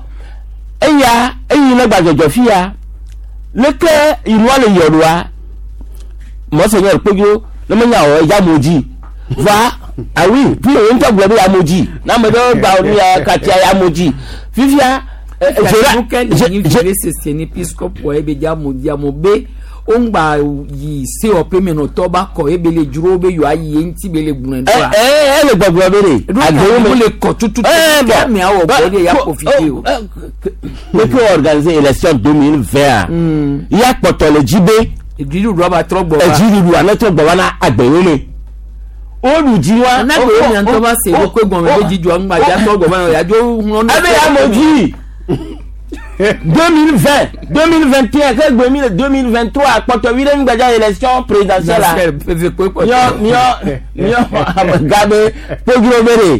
eya eyi ne gbadzɔdzɔ fia leke inua le yɔɖoa mɔsonyɔ kpodzo ne menya o eya mo dzi va awi fi wo ŋutɔ gblɔ be ya mo dzi na ame ɖewo gba nu ya katia ya mo dzi fifia zera sese ni episcope ebe dza mo dza mo be wongba yi se ɔpe me nɔtɔ ba kɔ ebe le dzro be yewoa yi eŋuti be le gblɔe ɖoa. Ele gbɔgblɔ be de agbewo me le kɔ tututu bon ame awɔ gbɔ de ya profite o. Keke organiser élection 2020 ya kpɔtɔ le dzi be Dziɖuɖua ba trɔ gbɔ va. Dziɖuɖua ne trɔ gbɔ va na agbewo me woɖu dzi wa. Na gbewo mia ŋutɔ va se ɖokui gɔme be dzidzɔa ŋgba dza trɔ gbɔ va ya dzo ŋlɔ. Ebe ya mo dzi 2020 2021 ke gbe mi le 2023 akpɔtɔ vi ɖe ŋgbadza élection présidentielle la miɔ miɔ miɔ amegã be kpodzro be de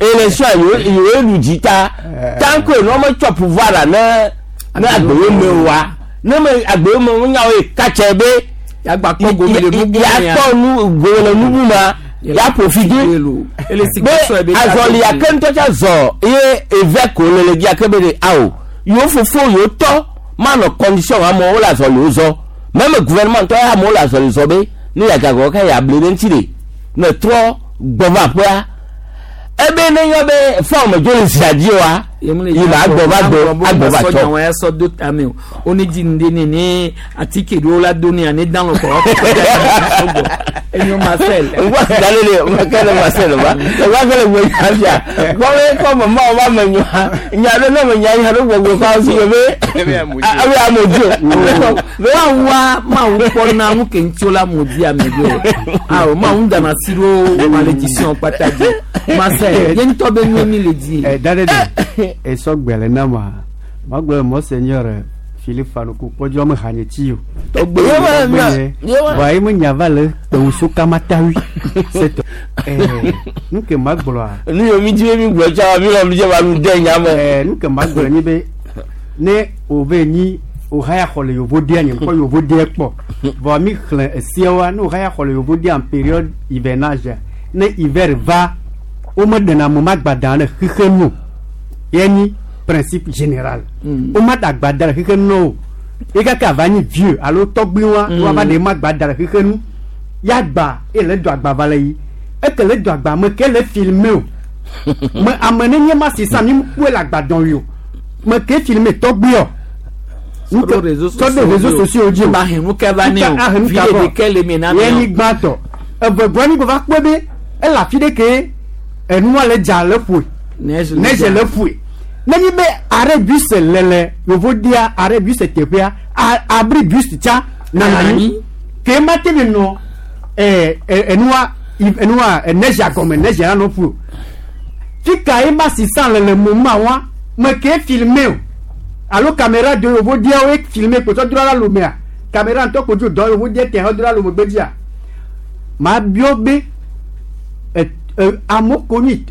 élection yewo yewo ɖu dzi ta tant que ne wɔme tsɔ pouvoir la ne ne agbewo me wa ne me agbewo me wo nyawo yi katsɛ be Yagba kpɔ gome le nubu mea. Yakpɔ nu gome le nubu ma ya profite be azɔli ake ŋutɔ tsa zɔ ye eve ko le le dzi ake be de awo yewo fofo yewo tɔ manɔ condition amewo le azɔli wo zɔ même gouvernement ŋutɔ ya amewo le azɔli zɔ be ne yagagɔ ke yable ɖe ŋuti de ne trɔ gbɔ va aƒea ebe ne nyɔ be fɔm dzo le zia dzi wa yi ma agbɔ va gbɔ agbɔ va tsɔ. Sɔdza ya sɔ do tame o o ne dzi nu de ne ne atike ɖewo la do ne ane dan lɔ kɔ enyo Marcel. Ngwa dalele makele Marcel ba ngwa kele gbe yafia kɔme kɔme ma wa me nyɔa nya ɖe ne me nya nya ɖe gbɔgbɔ kɔ asi be ebe ame dzo. Mawu mawu kpɔna nu ke ŋuti la mo di ame ɖo awo mawu dana si ɖo malédiction kpata dzi Marcel ye ŋutɔ be nue mi le di. Ɛ dade de esɔ gbɛlɛ na ma ma gblɔ monseigneur Philippe Fanuku kpɔdzɔ me hanye tsi o. Tɔgbe Wa ye me nya va le kpewuso kamatawi setɔ. Ɛɛ nu ke ma gblɔa. Nu yiwo mi di be mi gblɔ tsa mi lɔ mi dze ba nu de nya me. Ɛɛ nu ke ma gblɔ nyi be ne o be nyi o haya xɔ le yovo dia nye kpɔ yovo dia kpɔ vɔ mi xlẽ esiawoa ne o haya xɔ le yovo dia en période hivernage ne hiver va wo me ɖena ame ma gbada le xixe nu ye nyi principe général wo ma da gbada le xixe nu o ye kaka va nyi vieux alo tɔgbi wa wa va ɖe ma gbada le xixe nu ya gba ye le do agba va le yi eke le do agba me ke le filmer o me ame ne nye ma sisa mi kpɔe le agbadɔn yi o me ke filmer tɔgbi o Sɔɖo réseaux sɔɖo réseaux sociaux dzi o ba hɛn nu kɛ va ne o vi de ɖekɛ le mi na ye mi nyi gbãtɔ eve gbɔ mi va kpɔe be ele afi ɖe ke enua le dza le ƒoe neige le ƒoe nenyi be arrêt bus le le yovo dia arrêt bus teƒea abri bus tsa nana anyi ke ma te mi nɔ ɛɛ enua enua neige gɔme neige la nɔ ƒo fika ye ma sisan le le moment wa me ke filmer o alo caméra de yovo dia wo filmer kpɔtɔ dro la lomea caméra ŋutɔ kodzo dɔ yovo dia tɛ hɔ dro la lome gbedzia ma biɔ be amewo ko nyi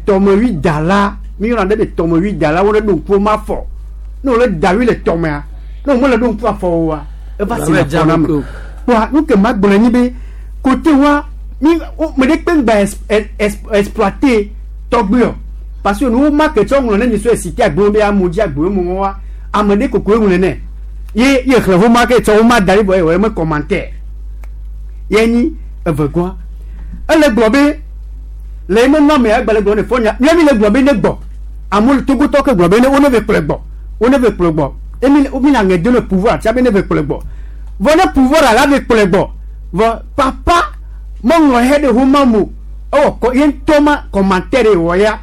tɔmewui dala mi yɔna ɖe be tɔmewui dala wo le ɖo ŋku ma fɔ ne wo le da wui le tɔmea ne wo me le ɖo ŋku afɔ oa eva si le afɔ na me kpoa nu ke ma gblɔ nyi be kote wa mi me ɖe kpe ŋgba exploiter tɔgbuiɔ parce que nu ma ke tsɔ ŋlɔ ne mi sɔ esite agbewo be amewo dzi agbewo mo wa ame ɖe kokoe ŋlɔ nɛ ye ye xlẽ wo ma ke tsɔ wo ma da ɖi vɔ ye wɔ me commentaire ye nyi evegɔa ele gblɔ be le eme nɔ me agbalẽ gblɔ ne fɔ nya míami le gblɔ be ne gbɔ amewo togotɔ ke gblɔ be ne wo ne ve kplɔe gbɔ wo ne ve kplɔe gbɔ emi mi le aŋe do ne pouvoir tia be ne ve kplɔe gbɔ vɔ ne pouvoir ala ve kplɔe gbɔ vɔ papa meŋlɔ he ɖe homa mo ewɔ kɔ ye ŋutɔ ma commentaire wɔ ya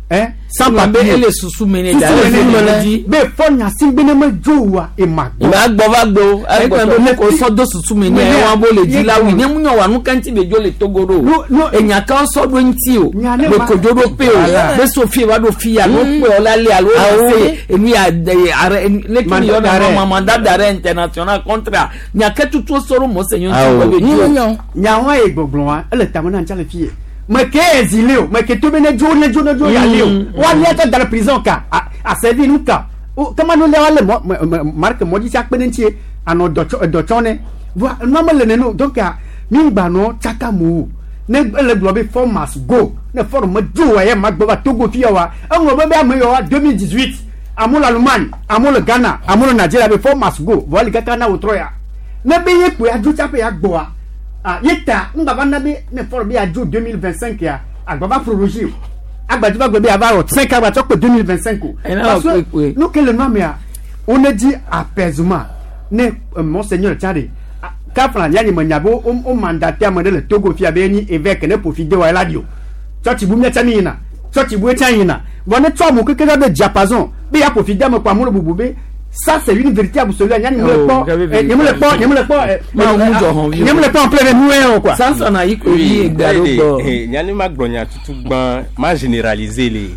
hein, sans Ŋlɔ be papier. ele susu me ne da Susu le me ne dzi. dzi. Be fɔ nyasi be ne me dzo wa ema gbɔ. Ma gbɔ va gbo. Egblɔ be ne ko sɔ do susu me ne Me ne- wa bo le dzi la ye- wi ne mu nyɔ wa nu kanti be dzo le Togo ɖo. No, no. Enya ka sɔ ɖo ŋuti o. Nya ne Be ma- kodzo ɖo pe o. Voilà. Be Sofie va ɖo fia no kpe o la le alo Awo. se enu ya de are ne ki Mandat yɔ na d'arrêt. ma mandat d'arrêt international contre nya ke tutu sɔ ɖo mɔ se nyɔ Awo. ŋuti be dzo. Nyɔ. Nyawa ye gbɔgblɔ wa ele tame na ntsa le fie. Me ke exilé o, me ke to be ne dzo ne dzo ne dzo ya le o. Wa lia tɔ da le prison ka, a a servi nu ka. O kama nu le wa le mɔ me me marque mɔdzi sia kpe ne ŋuti ye anɔ dɔ tsɔ dɔ tsɔ ne. Voa nua me le nene o donc a mi ŋgba nɔ tsaka mo o. Ne ele gblɔ be four must go ne four me dzo wa ye ma gbɔ va Togo fia wa. Eŋlɔ be be ame yɔ wa 2018 amewo le Allemagne, amewo le Ghana, amewo le Nigeria be four must go vɔ eli kaka na wòtrɔ ya. Ne be ye kpo ya dzo tsaƒe ya gbɔa ah ye ta ŋgbava na be ne fɔlɔ be ya dzo 2025 ya agbava prologie o agbadzi va gblɔ be ava wɔ 5 agbatsɔ kpe 2025 o. Ena Parce wɔ que kpekpe. nu ke le nua mea wo ne dzi apaisement ne monseigneur tsa de kafla ya nye me nya be wo wo mandaté ame ɖe le Togo fia be enyi évêque ne profite wa ela di o tsɔtsi bu miatsa mi yina tsɔtsi bu etsa yina vɔ ne tsɔ amewo keke la be diapason be ya profite ame kɔ amewo le bubu be ça c'est une vérité absolue nya nye me le Oh, kpɔ j'avais eh, nye me le kpɔ nye me le kpɔ eh, Ma eh, ŋu dzɔ hɔn vi o. nye me le kpɔ en plein nu ye o quoi. Sansan na yi ko yi egbe alo gbɔ. nyani ma gblɔ nya tutu gbã ma généraliser le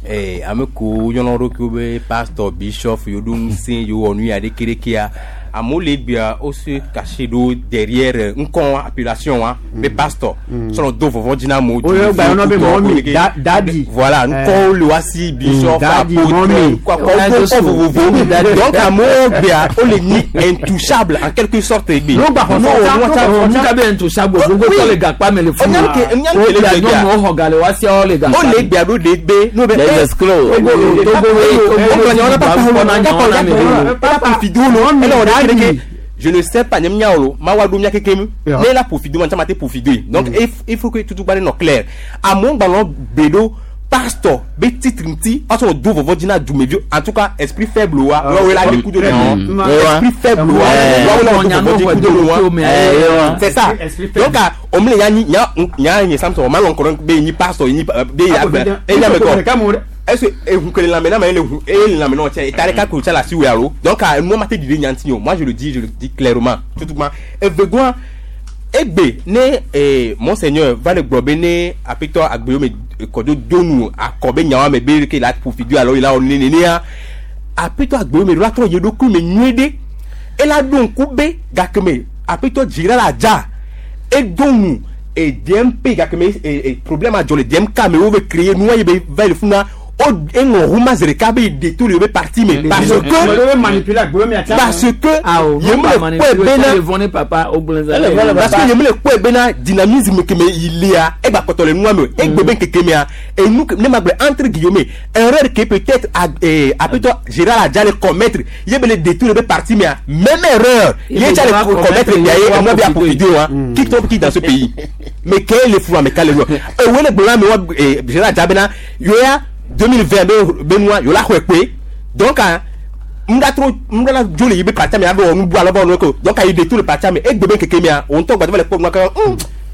eh, ame ko yɔnɔ ɖokuiwo be pastor bishop yewo ɖo ŋusẽ yewo wɔ nu ya ɖekeɖekea amewo le egbea wo se caché ɖo derrière ŋkɔ appellation wa be pastor sɔrɔ do vɔvɔ dzi na amewo. Wo yɔ gba yɔnɔ be mɔmi, daddy. Voilà ŋkɔwo le wa si bishop Daddy, apôtre mommy. ŋkɔ ŋkɔ vovovowo donc amewo gbea wo le nyi intouchable en quelque sorte egbe. No gba xɔ No, sɔtsa, no, no gba xɔ Nu ka be ntouchable gbogbo tɔ le gakpa me le funu. Nyanu ke le Wo gbea. nyɔnuwo xɔ ga le wa sia wo le gakpa o me. le gbea ɖo de be n'o be Les escrocs. Togo je ne sais pas nyem nyawo ma wa do mia keke Yeah. ne la profite man ta profite donc il faut que tout tout no clair amewo gbalɔ be ɖo pastor be titre ŋuti asɔ do vɔvɔ dzi na dumeviwo en tout cas esprit faible wa wa la le kudo Mm. ne esprit faible wa wa la do vɔvɔ dzi kudo ne wa c'est ça Esprit faible. donc o mi le nya nya nya nye samson o ma lɔn kɔrɔ be nyi pastor nyi be ya be enya me kɔ est-ce que ehun kele lamɛ n'a ma ele hun ele lamɛ n'o cɛ tari ka ko cɛ la si wɛ alo donc a nu ma te didi ɲanti o moi je le dis clairement tout ma evegoa egbe ne monseigneur va le gblɔ be ne apetɔ agbewo me kɔdo donu akɔ be nyawo me be ke la profite alo la nenenea apetɔ agbewo me la trɔ ye ɖokui me nyuie ɖe ela ɖo ŋku be gake me apetɔ dzira la dza edo nu e DMP gake me e problème adzɔ le DMK me wo be créer nua yi be va le funa o eŋlɔ huma zi ɖeka be détour le be parti me parce que manipuler agbewo mia tsa. parce que ye me le kpɔe bena vɔne papa o gblẽ Ele vɔne parce que ye me le kpɔe bena dynamisme ke me yi lia egba kpɔtɔ le nua me o egbe be ŋkeke mea enu ke ne ma gblɔ entre guillemets erreur ke peut-être apetɔ Gérard Adja le commettre ye be le détour le be parti mea même erreur Ye ye be tsa le va commettre commettre bia ye ye va emɔ bia profiter. profiter wa qui tombe qui dans ce pays mais quel est le fou mais quel est le ewe le gblɔ na me wa Gérard Adja bena yoya 2020 be be nua yola xɔe kpe donc ah ŋga tro ŋga la dzo le yi be parti me abe wɔ nu bu alo be wɔ nu ko donc ayi détour le parti me egbe be ŋkeke mea o ŋutɔ gbadɔ va le kpɔ nua kaka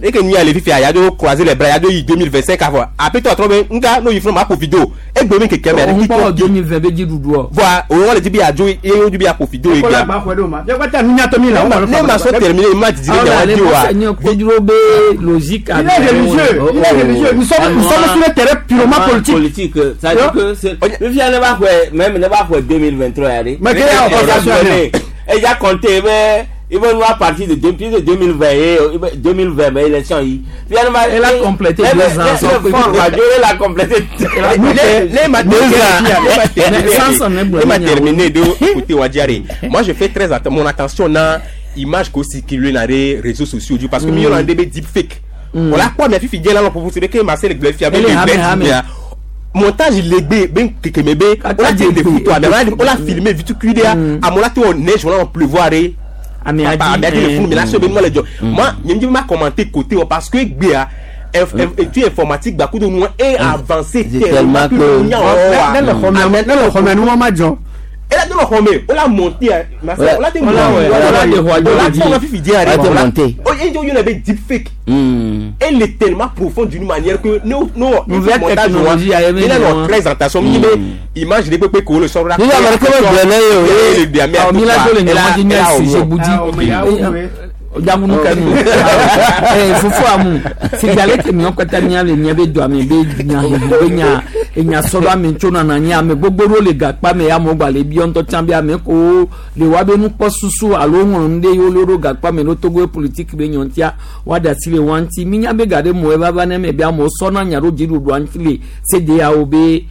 eke nu ya le fifia ya do croiser les bras ya do yi 2025 avɔ apetɔ atrɔ be ŋga no yi funu ma ƒo video egbe be ŋkeke mea Òun kpɔ 2020 be dziɖuɖu ɔ. voa o wɔn le dzi be ya dzo ye wo dzi be ya ƒo video Kɔla egbea gba xɔ ɖe o ma. Fiagbata nunyatɔ mi la. ne ma sɔ terminer ma didi Awo ɖe la nya le wa di wa mɔsɛ nye kodro be logique. Il est religieux, il est religieux. Nous sommes sur le terrain purement politique. Politique. Ça veut dire que c'est. Le fia ne va quoi, même ne va quoi 2023 aller. Mais quelle est l'opposition Et il a compté, mais il va nous à partir de depuis de 2020 et 2020 mais élection yi. Finalement, Elle a complété 2 ans, son Elle a complété. Ne ma Mais sans son ne ma terminé de écouter Wadiare. Moi je fais très attention mon attention na image qu'au circule dans les réseaux sociaux du parce que mieux on a des deepfake. On la quoi mais fifi bien là pour vous c'est que Marcel Bleu fiable Elle est hame, hame. Montage legbe ben keke mebe on a dit des photos mais on l'a filmé vu tout cuidé à mon là tout on neige on a pleuvoir et Ame papa adi. ame adi le funu mais là c'est ben moi le job moi je me m'a commenté côté parce que gbea étude informatique bakudo nous est avancé C'est tellement que- tellement Ne le xɔme ne le xɔme nu ma dzɔ. Ela do xɔ me o la monter ma Wala- o la te wala- monter wala- de xɔ o la dzi. tɔ ma fifi diɲɛ Wala yɛrɛ te ma monter. o ye jɔ yɔrɔ bɛ deep fake. Elle est tellement profonde d'une manière que nous nous Nouvelle technologie, a ye il a min notre ye. présentation mi be image de pepe ko le sɔrɔ la Ni la marque bɛ gblɔ ne ye o ye. Awɔ, mi la do le ɲɔgɔn di ɲɛ sujet budi. Ah, o me ya wo me. Jamunu kanu. Fofo amu. Figale ke miɔ kpata mia le mia be do ame be nya hehe be nya enya sɔrɔ ame tso nana nyi ame gbogbo ɖewo le gakpa me ya amewo gba le biɔ ŋutɔ tsã be ame ko le wa be nukpɔsusu alo ŋlɔ nu ɖe yewo le ɖo gakpa me ɖo Togo politique be nyɔntia wa da asi le wa ŋuti. Mi nya be ga ɖe mo eva va ne me be amewo sɔna nya ɖo dziɖuɖua ŋuti le CEDEAO be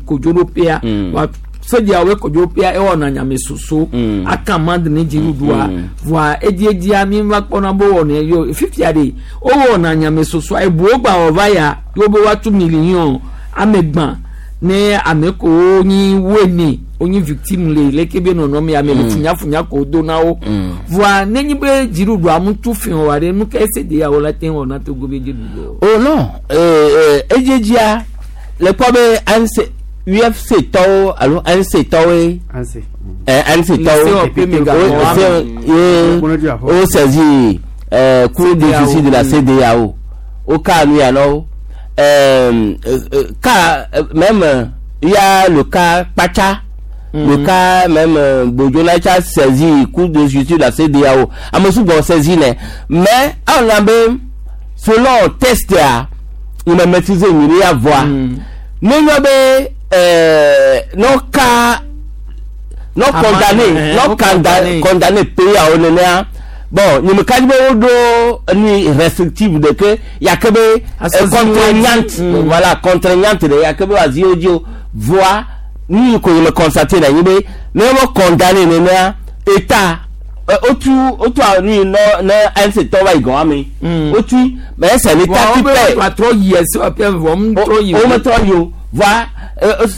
kodzoɖoƒea. Wa CEDEAO be kodzoɖoƒea ewɔna nyamesoso aka amande ne dziɖuɖua voa ediedzia mi va kpɔna be wɔnɛ yo fifia de wowɔna nyamesosoa ebuwo gba wɔ va ya yewo be woatu million ame gbã ne ame kewo nyi woene wonyi victime le leke be nɔnɔme ame le funyafunya ko do na wo voa nenyi be dziɖuɖua mu tu fi wa ɖe nu ke CEDEAO la te wɔ na Togo be dziɖuɖu Oh non, edzedzia le kpɔ be ANC UFC tɔwo alo ANC tɔwoe Anse. ANC Le tɔwo COP me gakɔ o wa se ye Kpɔnɔ dzi afɔ. o saisi cour de CEDEAO. justice de la CEDEAO o ka nu ya nɔ ka même il y a le cas Kpacha, le cas même Bodjonacha saisi cour de justice de la CEDEAO ame sugbɔ saisi nɛ mais aw na be selon test ya il m'a maîtrisé nyiri ya voix ne nyɔ be n'o ka n'o Ama- condamné n'o n'o condamné. condamné condamné pays awo nenea bon nyemeka dzi be woɖo ni restrictive de ke yake be Asɔzi contraignante wo dzi. voilà contraignante de yake be wòazi wo dzi o voa nu yi ko nye me constaté le anyi be ne wo condamné nenea état wotu wotu nu yi nɔ ne ANC tɔ va yi gɔn ame wotu mais c'est l'état voa qui wo be paie woatrɔ yi esi wa pia vɔ mu trɔ yi o me trɔ yi o voa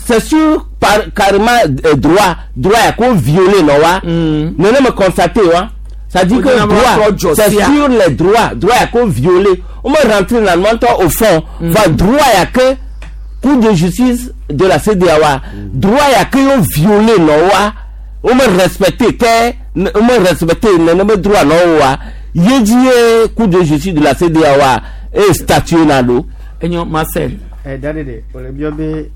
c'est sûr par carrément droit droit ya ko violer nɔ wa nene me constaté wa ça dit O que dina ma droit trɔ jɔ c'est sia. sur les droits droit ya ko violer o me rentre na ŋutɔ au fond voa droit ya ke cour de justice de la CEDEAO wa droit ya ke yo violer nɔ wa o me respecté ke o me respecté nene be droit nɔ wa ye dzi ye cour de justice de la CEDEAO wa e statuer na do. Enyo Marcel. Da de o le biɔ be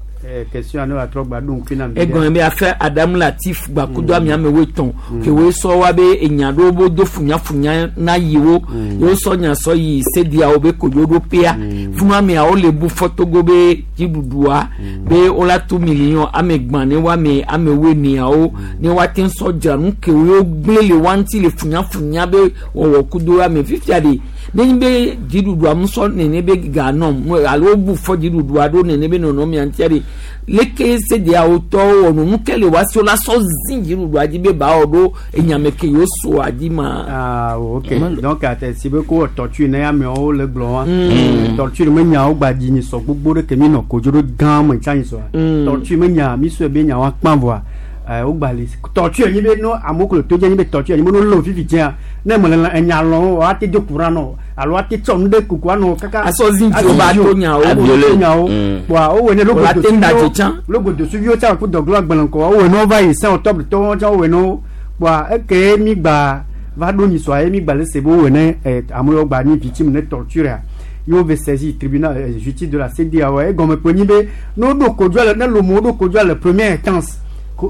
question ane wòatrɔ gba ɖo ŋkui na mi. Egɔme be afɛ Adamu Latif gbakudo ame amewo etɔ̃ ke woe sɔ wa be enya ɖewo bo do funyafunya na yiwo yewo sɔ nya sɔ yi CEDEAO be kodzoɖoƒea funu ameawo le bu fɔ Togo be dziɖuɖua be wola tu million ame gbã ne woame ame woeneawo ne woate ŋu sɔ dzra nu ke wo gblẽ le wa ŋuti le funyafunya be wɔwɔ kudo ame fifia de nenye be dziɖuɖua mu sɔ nene be ga nɔ alo wobu fɔ dziɖuɖua ɖo nene be nɔnɔmea ŋutia de leke CEDEAO tɔwo wɔ nu nu ke le wa si wola sɔ zi dziɖuɖua dzi be ba wɔ ɖo enyame ke yewo soa dzi ma. Ah, ok. Donc, ate si be ko torture ne amewo le gblɔ wa. Torture me nyawo gba dzi nyi sɔ gbogbo ɖe ke mi nɔ kodzo ɖo gã me tsa nyi sɔa. Torture me nya mi sɔe be nyawo akpã vɔa. Wo gba li torture nyi be no amewo ko le to dze nyi be torture nyi be no lé wo fifi dzia ne me le enya lɔm o ate do courant nɔ alo ate tsɔ nu ɖe kuku anɔ kaka. Asɔ zi dzi wo ba to nyawo. Aviolé. Nyawo. Wa wo wɔ ne Wòle ate ŋu ɖadze tsã. logodosuviwo tsã ku dɔglo agbalẽ kɔ wo wɔ ne wova yi 5 octobre tɔwo tsã wo wɔ ne wo kpoa eke mi gba va ɖo nyisɔa ye mi gba le se be wo wɔ ne amewo gba nyi victime ne torture a ye wo ve saisir tribunal justice de la CEDEAO egɔme kpe nyi be ne woɖo kodzoa le ne lomo ɖo kodzoa le première instance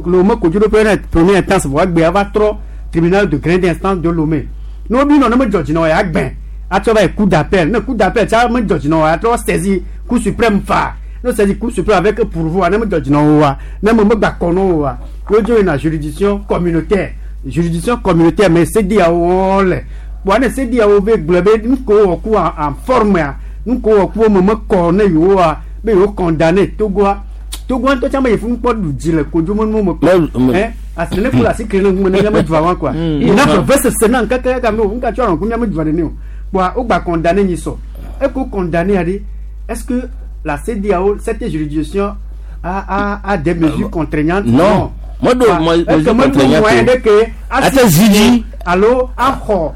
Lomé kodzo ɖo première instance vɔ egbea va trɔ tribunal de grande instance de Lomé ne wobi nɔ ne me dzɔ dzi na wo ya gbɛ atsɔ va yi cour d'appel ne cour d'appel tsa me dzɔ dzi na wo ya trɔ saisir cour suprême fa ne saisir cour suprême avec pourvoi ne me dzɔ dzi na wo wa ne me megba kɔ na wo wa wodzo yina juridiction communautaire juridiction communautaire mais CEDEAO wo le kpoa ne CEDEAO be gblɔ be nu ko wɔ ku en forme ya nu ko wɔ ku wo me mekɔ ne yewoa be yewo condamné Togoa Togoa ŋutɔ tsã me yi funu kpɔ ɖu dzi le kodzo me nuwo me kpɔ asi ne ku le asi kli ne ŋume ne míame dua wa quoi ina veve sese na ŋkeke ka me o ŋka tsɔ ŋku míame dua nene o kpoa wo gba condamné nyi sɔ eko condamné ya ɖe est-ce que la CEDEAO cette juridiction a des mesures contraignantes? Non. Moi, do Est-ce que mesure me do moyen contraignante. de ke Ate zi dzi. alo axɔ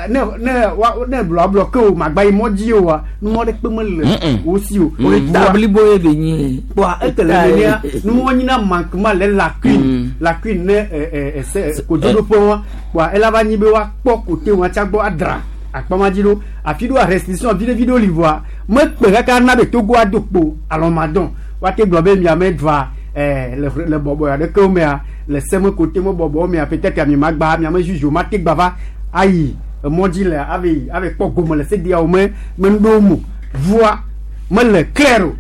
ne ne wa ne blɔ blɔ ke o magba yi mɔ dzi o wa numɔ ɖe kpe mele wo si o. O blibo ye be nyi. Kpoa ekele nenea numɔ nyina manquement le lacune lacune ne ɛ ɛ ɛsɛ kodzoɖoƒe wa kpoa ela va nyi be woakpɔ kote wa tsa gbɔ adra akpama dzi ɖo afi ɖo restriction vi ɖe vi ɖo li voa mekpe kaka na be Togo ado kpo alɔmadɔn woate gblɔ be miame dua ɛɛ le bɔbɔ aɖekewo mea le seme kote me bɔbɔ mea peut-être mi ma gba miame juge ma te gba va ayi emɔ dzi le ave ave kpɔ gome le CEDEAO me me nuɖewo mo voa mele clair o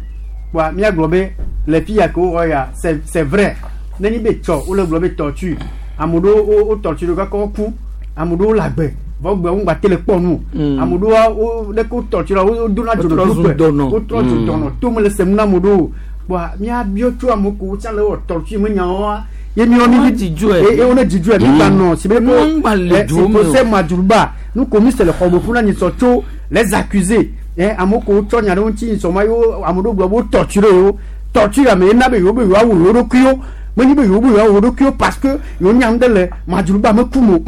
kpoa míagblɔ be le fi ya ke wowɔ ya c'est vrai nenyi be tsɔ wole gblɔ be torture ame ɖewo wo wo torture ɖo kaka woku ame ɖewo le agbe vɔ gbe wo ŋgba te le kpɔ nu o ame ɖewo wo ɖeke wo torture wo wo dona dzo Wotrɔ ɖe zu ƒe dɔnɔ. wotrɔ zu dɔnɔ to me le sem na ame ɖewo kpoa míabiɔ tso ame ko tsã le wɔ torture me nyawoa ye miɔ mi Wọ́n dzidzɔe. ye wo ne dzidzɔe mi gba nɔ si be ko Wọ́n gba le duwo me o. procès Madjoulba nu ko mi se le xɔme ƒu na nyisɔ tso les accusés ame ko tsɔ nya ɖe ŋuti nyisɔ ma yewo ame ɖewo gblɔ be wo torture yewo torture ame yena be yewo be yewoawu yewo ɖokuiwo menye be yewo be yewoawu yewo ɖokuiwo parce que yewo nya nu ɖe le Madjoulba me kum o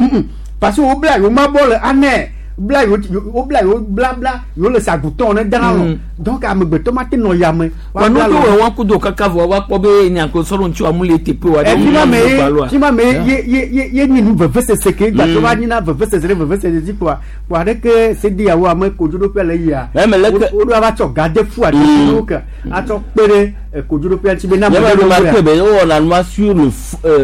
parce que wo bla yewo ma bɔ le anɛ bla yewo wo bla yewo blabla yewo le sagutɔ ne dana lɔ donc amegbetɔ ma te nɔ yame Wa nu do wɛ wa kudo kaka vɔ wa kpɔ be nyako sɔrɔ ŋutsu amu le teƒe wa. fi ma me ye fi ma me ye ye ye ye nyi nu vevesese ke gba tó va nyina vevesese ɖe vevesese dzi kpoa kpoa ɖeke CEDEAO ame kodzoɖoƒe le yia Mais mais leke- wo ɖo ava tsɔ ga de fu aɖe wo ke atsɔ kpe ɖe kodzoɖoƒea ŋuti be na Ne ame me ɖewo remarqué wea. be wowɔna nua sur le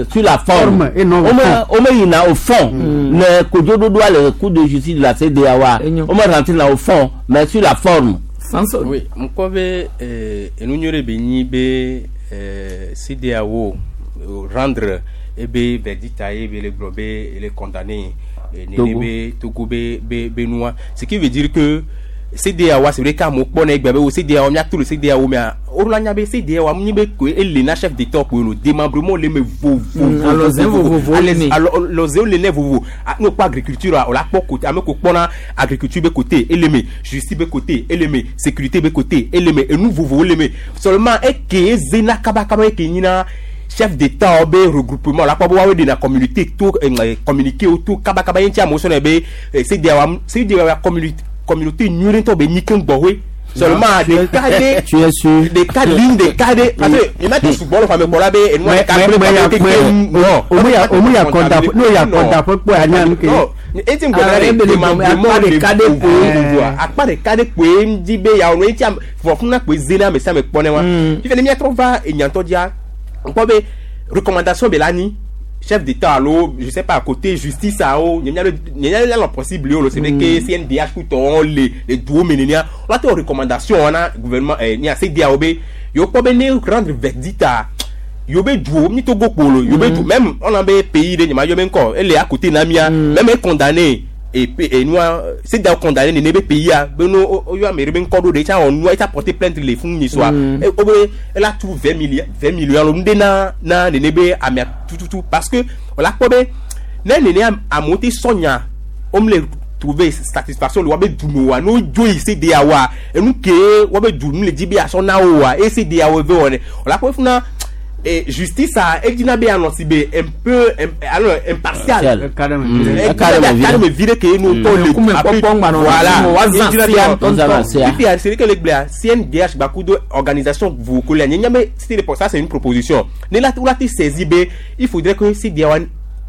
sur la forme. Forme et non au Wome fond. wome yina au fond. Le kodzoɖoɖoa le cour de justice de la CEDEAO wa. Enyo. Wome rentre na au fond mais sur la forme. Sanson. Oui, ŋkɔ be enu nyuie ɖe be nyi be CEDEAO rendre ebe verdict ye be le gblɔ be ele condamné nene Togo. be Togo be be be nua. Ce qui veut dire que CEDEAO c'est vrai qu'amewo kpɔ na egbe be wo CEDEAO míato le CEDEAO mea woɖo nya be CEDEAO nyi be koe ele na chef d'état koe no démembrement le me vovo Alɔze vovovowo le me. alɔzewo le ne vovo ne wokpɔ agriculture a wòle akpɔ côté ame ko kpɔna agriculture be côté ele me justice be côté ele me sécurité be côté ele me enu vovowo le me seulement eke ezena kabakaba eke nyina chef d'état be regroupement la kpɔ be woawoe ɖena communauté to communiqué wo to kabakaba ye ŋuti amewo sɔnɛ be CEDEAO CEDEAO communauté communauté nyuie ɖe ŋutɔ be nyi keŋ gbɔwoe seulement ɖeka ɖe tu es sûr ɖeka ligne ɖeka ɖe parce que mi ma te sugbɔ le xɔme kpɔ la be enua Mais- ɖeka mais- kple mais ya- kple mais- non omu ya kɔda n'o ya kɔda ƒe kpɔ ya nya nu ke non eti ŋgɔ Ah, na ebe ɖe le gɔme, akpa ɖeka ɖe koe. akpa ɖeka ɖe koe ŋdi be yawo no eti am vɔ fún na koe ze na ame sia ame kpɔ ne wa fifia ne miatrɔ va enyatɔ dzia ŋkpɔ be recommandation be la nyi chef d'état alo je sais pas côté justice awo nye mia nye mia lɔ possible yio lo c'est vrai que CNDH kutɔwo le le duwo me nenia wala te wɔ recommandation na gouvernement nia CEDEAO be yewo kpɔ be ne rendre verdict a yewo be duwo mi Togo kpolo yewo be du même on a be pays ɖe nye ma yɔ be ŋkɔ ele à côté na mia même e condamné et et nua CEDEAO condamné nene be pays a be no o yɔ ame ɖe be ŋkɔ ɖo ɖe etsa wɔ nua etsa porter plainte le fún nyi soa e o be ela tu 20 millions 20 millions alo nu ɖe na na nene be amea tututu parce que wòle akpɔ be ne nene amewo te sɔ nya wome le trouver satisfaction le woabe du me oa ne wodzo yi CEDEAO wa enu ke woabe du nu le dzi be asɔ na wo oa eye CEDEAO ve wɔ ne wòle akpɔ be funa justice a edina be anɔ si be un peu alors impartial. Partial. Eka ɖe me. Eka ɖe me vi ɖe. Eka ɖe me vi ɖe ke nu tɔ le Ŋkume kpɔkpɔ ŋgba nɔ voilà na woazã Edina be sia anɔ- ŋutɔŋutɔ. Woazã sia. Fifia c'est que le gblea CNDH gbakudo organisation vovovo le nye be c'était pour ça c'est une proposition ne la wula te saisi be il faudrait que CEDEAO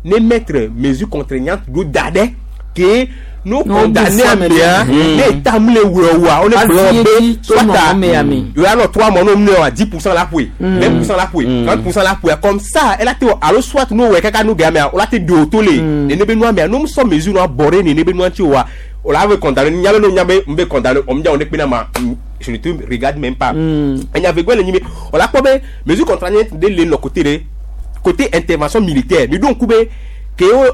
ne mettre mesure contraignante ɖo da ɖe ke no No condamné bu fɔ amea ame ne eta mu le wɔ wa wo ne Azie gblɔ be dzi to soit nɔ a amea me. yóò alɔ trois mois n'o mu wa 10% la ƒoe 20% la ƒoe 30% la ƒoe comme ça ela te wɔ alo soit n'o wɔ kaka n'o gɛ amea o la te do o to le nene be nua mea n'o sɔ mesure nua bɔ ɖe nene be nua ŋuti wa o la ve condamné nya be n'o nya be n be condamné o mi dza o ne kpe na ma je ne te regarde même pas enya ve gbɛ le nyi be o la kpɔ be mesure contraignante de le nɔ côté ɖe côté intervention militaire mi ɖo ŋku be ke wo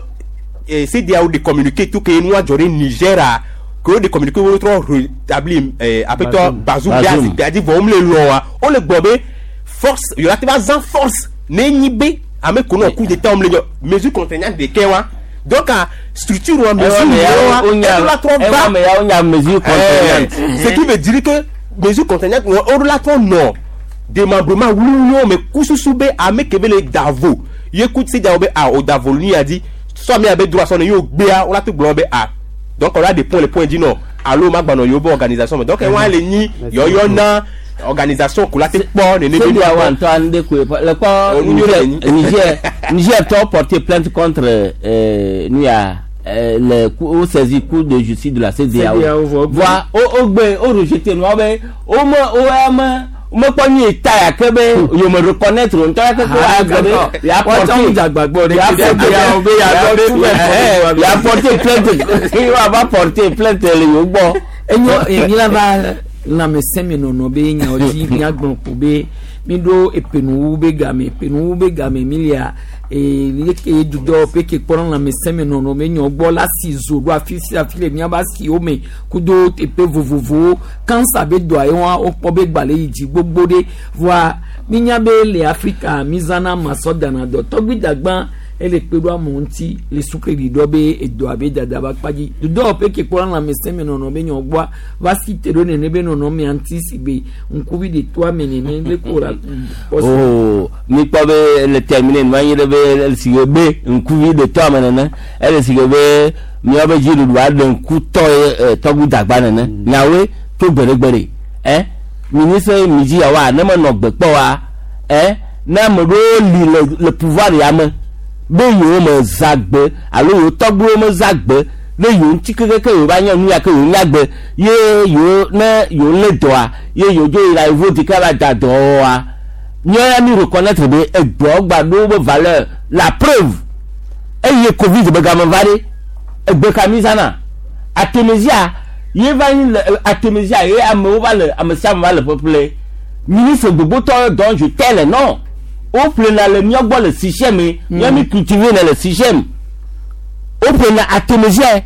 CEDEAO de communiqué tout ke nua dzɔ ɖe Niger a ke wo de communiqué wo trɔ rétabli aƒetɔ Bazoum be Bazoum. azikpui dzi vɔ wo le lɔ wa wo le gbɔ be force yòlá te va zã force ne nyi be ame ko nɔ coup d'état wo le nyɔ mesure contraignante de kɛ wa donc a structure wa mesure wa eɖo la trɔ va Ewa me ya wonya mesure contraignante. ce qui veut dire que mesure contraignante wa eɖo la trɔ nɔ démembrement wluwlu me kususu be ame ke be le davo ye ku CEDEAO be a o davo nu ya di sɔ mi abe droit sɔ ne y'o gbea wo la te gblɔ be a Donc on a des points les points dit non alo ma gbanɔ yewo be organisation me. Donc ewa le nyi yɔyɔ na organisation ko la te kpɔ nene be CEDEAO ŋutɔ ŋɖe koe le kpɔ Oh, nu nyuie le nyi. Niger Niger tɔ porté plainte contre nu ya le wo saisi cour de justice de la CEDEAO. CEDEAO vɔ Voa wo gbe wo rejeté nua be wo me wo ya me mekpɔ nyi ta ya ke be yewo me reconnaître o ŋutɔ ya ke ko Ah, agbe be d'accord. ya Wɔtsɔ porté ŋu dzagbagbe ɖe ya ke CEDEAO be ya dɔ tu bɛ porté ya porté plainte wa va porté plainte le yewo gbɔ. Enyo mi la va lãmesẽmenɔnɔ be nyawo dzi míagblɔ ko be mi ɖo epenuwu be game epenuwu be game mi lia ee leke dudɔwɔƒe ke kpɔna lãmesẽmenɔnɔ be nyɔ gbɔ la si zo ɖo afi sia afi le míabe asiwo me kudo teƒe vovovowo kansa be dɔa ye wa wokpɔ be gbalẽ yi dzi gbogbo ɖe voa mínya be le Afrika mi zãna masɔ dana dɔ tɔgbi dagbã ele kpe ɖo amewo ŋuti le sukeli ɖɔ be edɔ abe dada ba kpa dzi dudɔwɔƒe ke kpɔna lãmesẽmenɔnɔ be nyɔ gbɔa va si te ɖo nene be nɔnɔmea ŋuti si be ŋkuvi ɖe toa me nene le ko la Oh, mi kpɔ be le termine nu anyi ɖe be ele si ke be ŋkuvi ɖe tɔ ame nene ele si ke be míawo be dziɖuɖu aɖe ŋku tɔ ye tɔgbu dagba nene nyawoe tso gbeɖegbeɖe ɛ ministre mi dzi yawoa ne menɔ gbe kpɔ wa ɛ ne ame ɖewo li le pouvoir ya me be yewo me zã gbe alo yewo tɔgbuiwo me zã gbe ne yewo ŋuti kekeke yewo va nye nu ya ke yewo nya gbe ye yewo ne yewo lé dɔa ye yewo dzo yina yevo di ke va da dɔwɔa míawo ya mi reconnaître be egbeawo gba ɖo be valeur. La preuve, eye COVID be game va ɖe egbe ka mi zãna artémisia ye va nyi le artémisia ye amewo va le ame sia ame va le ƒeƒle ministre gbogbotɔ dont je tais le nom woƒlena le míawo gbɔ le sixième me míawo mi cultiver ne le sixième woƒlena artémisia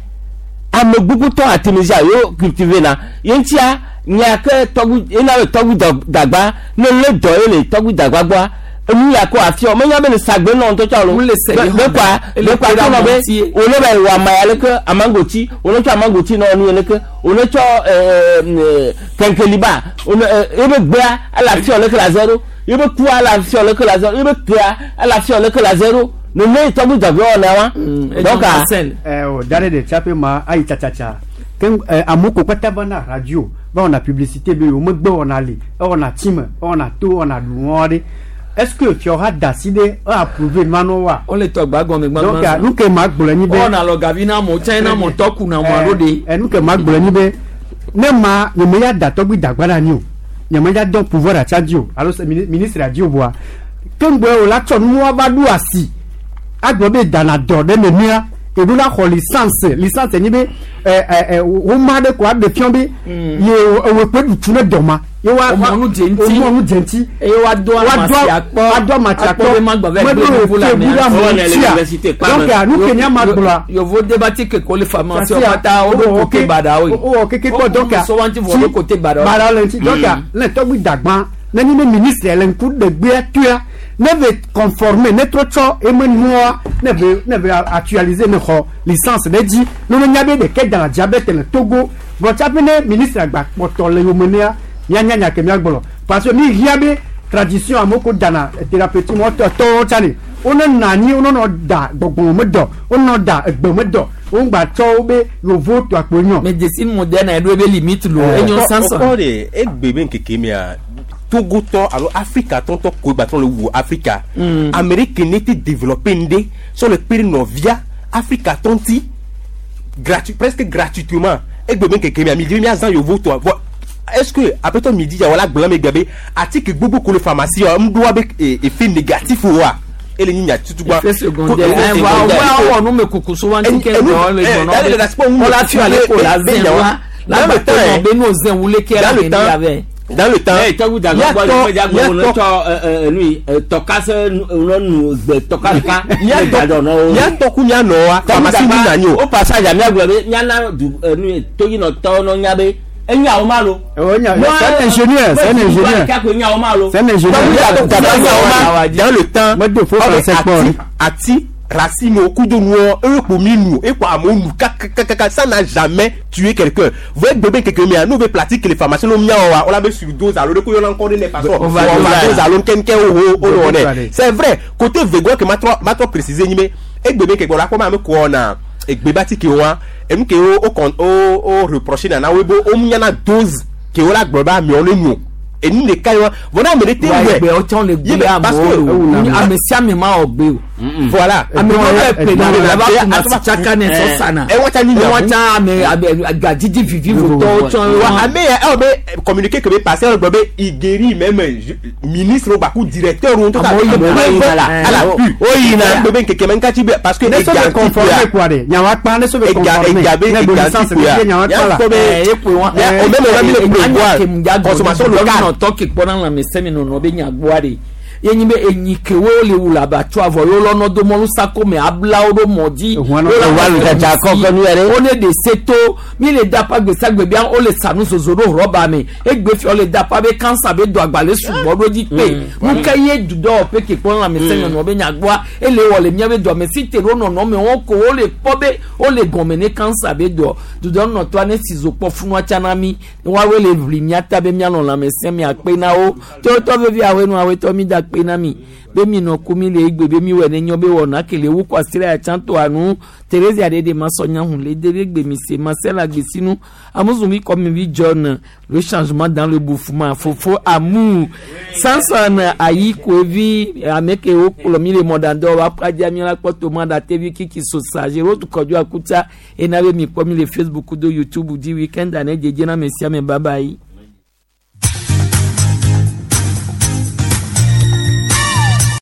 ame gbogbotɔ artémisia yewo cultiver na ye ŋutia nya ke tɔgbi ena be tɔgbi dagba ne lé dɔ ye le tɔgbi dagba gbɔa enu ya ko afiɔ menya be le sagbe nɔ ŋutɔ tsɔ lo Wole se be yi be xɔ kɔa ele be kɔa kpe ɖe tó nɔ be amewo ŋuti. wòle be wɔ ama ya leke amangoti wòle tsɔ amangoti nɔ nu leke wòle tsɔ ɛɛ kɛnkeliba wòle ebe gbea ele afiɔ leke la zero ebe kua ele afiɔ leke la zero ebe kea ele afiɔ leke la zero nene tɔgbi dagba wɔ na wa donc a Marcel O dare de tsape ma ayi tsatsatsatsa ke amewo ko kpata va na radio va wɔna publicité be yewo megbe wɔna li ewɔna time ewɔna to ewɔna ɖu ɖe est ce que fiawo da asi ɖe e approuvé nua wa wole tɔgba gɔme donc gbagba nu ke ma gblɔ nyi be wɔna lɔ gavi na amewo tsã na amewo tɔ ku na amewo alo ɖe nu ke ma gblɔ nyi be ne ma nye me ya da tɔgbi dagba ɖe anyi o nye me ya dɔn pouvoir atsa dzi o alo se ministre adzi o voa ke ŋgbɔ o la tsɔ nuwa va ɖo asi agblɔ be dana dɔ ɖe nenea eɖo la xɔ licence licence nyi be ɛ ɛ ɛ woma ɖe ko aɖe fiɔ be ye ewe kpe ɖutu ne dɔ ma ye wa Womɔ nu dze ŋuti. womɔ nu dze ŋuti eye woado amasi akpɔ woado amasi akpɔ be magba va meɖo gblẽ nubu le efe bu amea ɖe amewo Wowɔnɛ le ŋutia. université kpa me. Donc nu ke nya ma gblɔa yovo debati ke ko le pharmacie wo katã woɖo kote baɖawoe wowɔ keke kpɔ donc so wa ŋuti vɔ woɖo kote baɖawoe baɖawo le ŋuti donc ne tɔgbi dagbã ne nyi be ministre le ŋku ɖegbea toa ne ve conformer ne trɔ tsɔ eme nua ne ve ne ve actualiser ne xɔ licence ɖe dzi ne wo nya be ɖeke dana diabète le Togo vɔ tsaƒe ne ministre agba kpɔtɔ le yome nea mianya nya ke miagblɔ parce que mi hia be tradition amewo ko dana thérapeutique mo tɔwo tsa ne wo ne nɔ anyi wo nɔ da gbɔgbɔ me dɔ wo nɔ da egbe me dɔ wo ŋgba tsɔ wo be yovo to akpo nyɔ. médecine moderne eɖo ebe limite lo enyo sansan Okɔ de egbe be nkeke mea Togotɔ alo Afrika tɔntɔ ko gbatɔ le wu Afrika. Amérique ne te développé ŋɖe sɔ le kpe ɖe nɔvia Afrika tɔnti gratuit presque gratuitement egbe be nkeke mea mi di be miazã yovo tɔ vɔ est-ce que apetɔ mi di ya wala gblɔ me gbe be atike gbogbo ko le pharmacie wa ŋɖoa be effet négatif wa ele nyi nya tutugba. Effet secondaire ɛn wa wa wɔ nu me kuku so wa ŋuti ke dɔ le gbɔnɔ be wala fi ale ko la zɛn wa lagbetɔ nɔ be n'o zɛn wule ke la Dans le neni temps, avɛ. dans le temps, ɛ tɔgbi dagba gbɔ miatɔ- ne dagba wo ne miatɔ- tsɔ nui tɔkase nu nu gbe tɔka ɖeka ne da dɔ nɔ wo. miatɔ ku mianɔ wa pharmacie mi na nyi o. o passage a miagblɔ be miana du nu toyinɔtɔwo nɔ nya be enyawo ma lo. O nya- c'est un ingénieur, c'est un ingénieur. Kako enyawo ma lo. C'est un ingénieur. Dans le temps, Me do faux ɔbɛ français kpɔ ati ati racine o kudo nuɔ eye kpo mi nu ekpo amewo nu kakakaka ça n'a jamais tué quelqu'un voye gbebe keke mia n'o be pratique les pharmaciens n'o miawɔ wa o la be surdose alo de ko yɔna ŋkɔ de ne façon Overdose. overdose alo nkɛnkɛ o o o Overdose. wɔ nɛ c'est vrai côté vego ke ma trɔ préciser nyi be egbebe keke la kɔma ame kɔ na Egbe ba ti ke wa enu ke wo o con o o reprocher nana wo be o miana dose ke wo la gblɔ be amewo ne no enu ɖeka ye wa vɔ ne ame ɖe te wa wɛ egbe ɔtsɔ le Ye gbe be- parce amewo que- le o ame sia ame ma wɔ gbe o voilà ame Edɔn ma ye- bɛ pe na edɔn le ye- la ye- kuma atuma- tsaka ne sɔ sana ewɔ tsa ni ewɔ nya tsa ame ame gadzidzi vivi votɔwo tsɔ wa wa ame ya ewɔ be communiqué ke be passé ewɔ gblɔ be il guérit même ministre wo gbaku directeur wo ŋutɔ Amewo yina preuve yina la. à la pu Wo yina. gbe be nkeke me ŋkatsi be parce que ne so ega be ŋuti conformer kpoa quoi de nyawa kpa ne so be ega conformer ega be ne ega bo ŋuti licence kpoa be nyawa kpa la ya kpɔ be ekpe wa Ya, au même moment, mi le prévoir consommation locale. nɔtɔ ke kpɔna lãmesẽ nɔnɔ be nyagboa de ye nyi be enyi kewo le wu le abatso avɔ ye wolɔnɔ do mɔlu sako me ablawo ɖo mɔ dzi Ehuan nɔ- Wo la Ehuan wɔ tsatsa si. kɔkɔ nu yɛ ɖe. wo ne de se to mi le dapa gbesiagbe bia wo le sanu zozo ɖo rɔba me egbe fia wo le dapa be kansa be do agbalẽ sugbɔ ɖo dzi kpe nu ke ye dudɔwɔƒe ke kpɔna lãmesẽ nɔnɔ be nyagboa ele wɔ le miabe dɔme si te ɖo nɔnɔme wo ko wo le kpɔ be wo le gɔme ne kansa be dɔ dudɔnɔtɔa ne si zo kpɔ funua tsã na mi woawoe le ʋli mia ta be mianɔ lãmesẽ mia kpe na wo tɔtɔ vevi awoe nu awoe mi da kpe na mi be mi nɔ ku mi le egbe be mi wɔ ne nyɔ be wɔna kele wu kɔ asi ɖe atsã toa nu Thérésia ɖe de ma sɔ nya hun le de be gbe mi se ma se la gbesinu amuzumi kɔ mi vi John le changement dans le bouffement fofo amour Samson ayi koevi ame ke wo kplɔ mi le mɔdadɔ wa kpadza mi la kpɔ toma da tevi kiki sosa zero kɔdzo akuta ena be mi kpɔ mi le Facebook do YouTube di weekend ane dzedze na me sia me bye bye.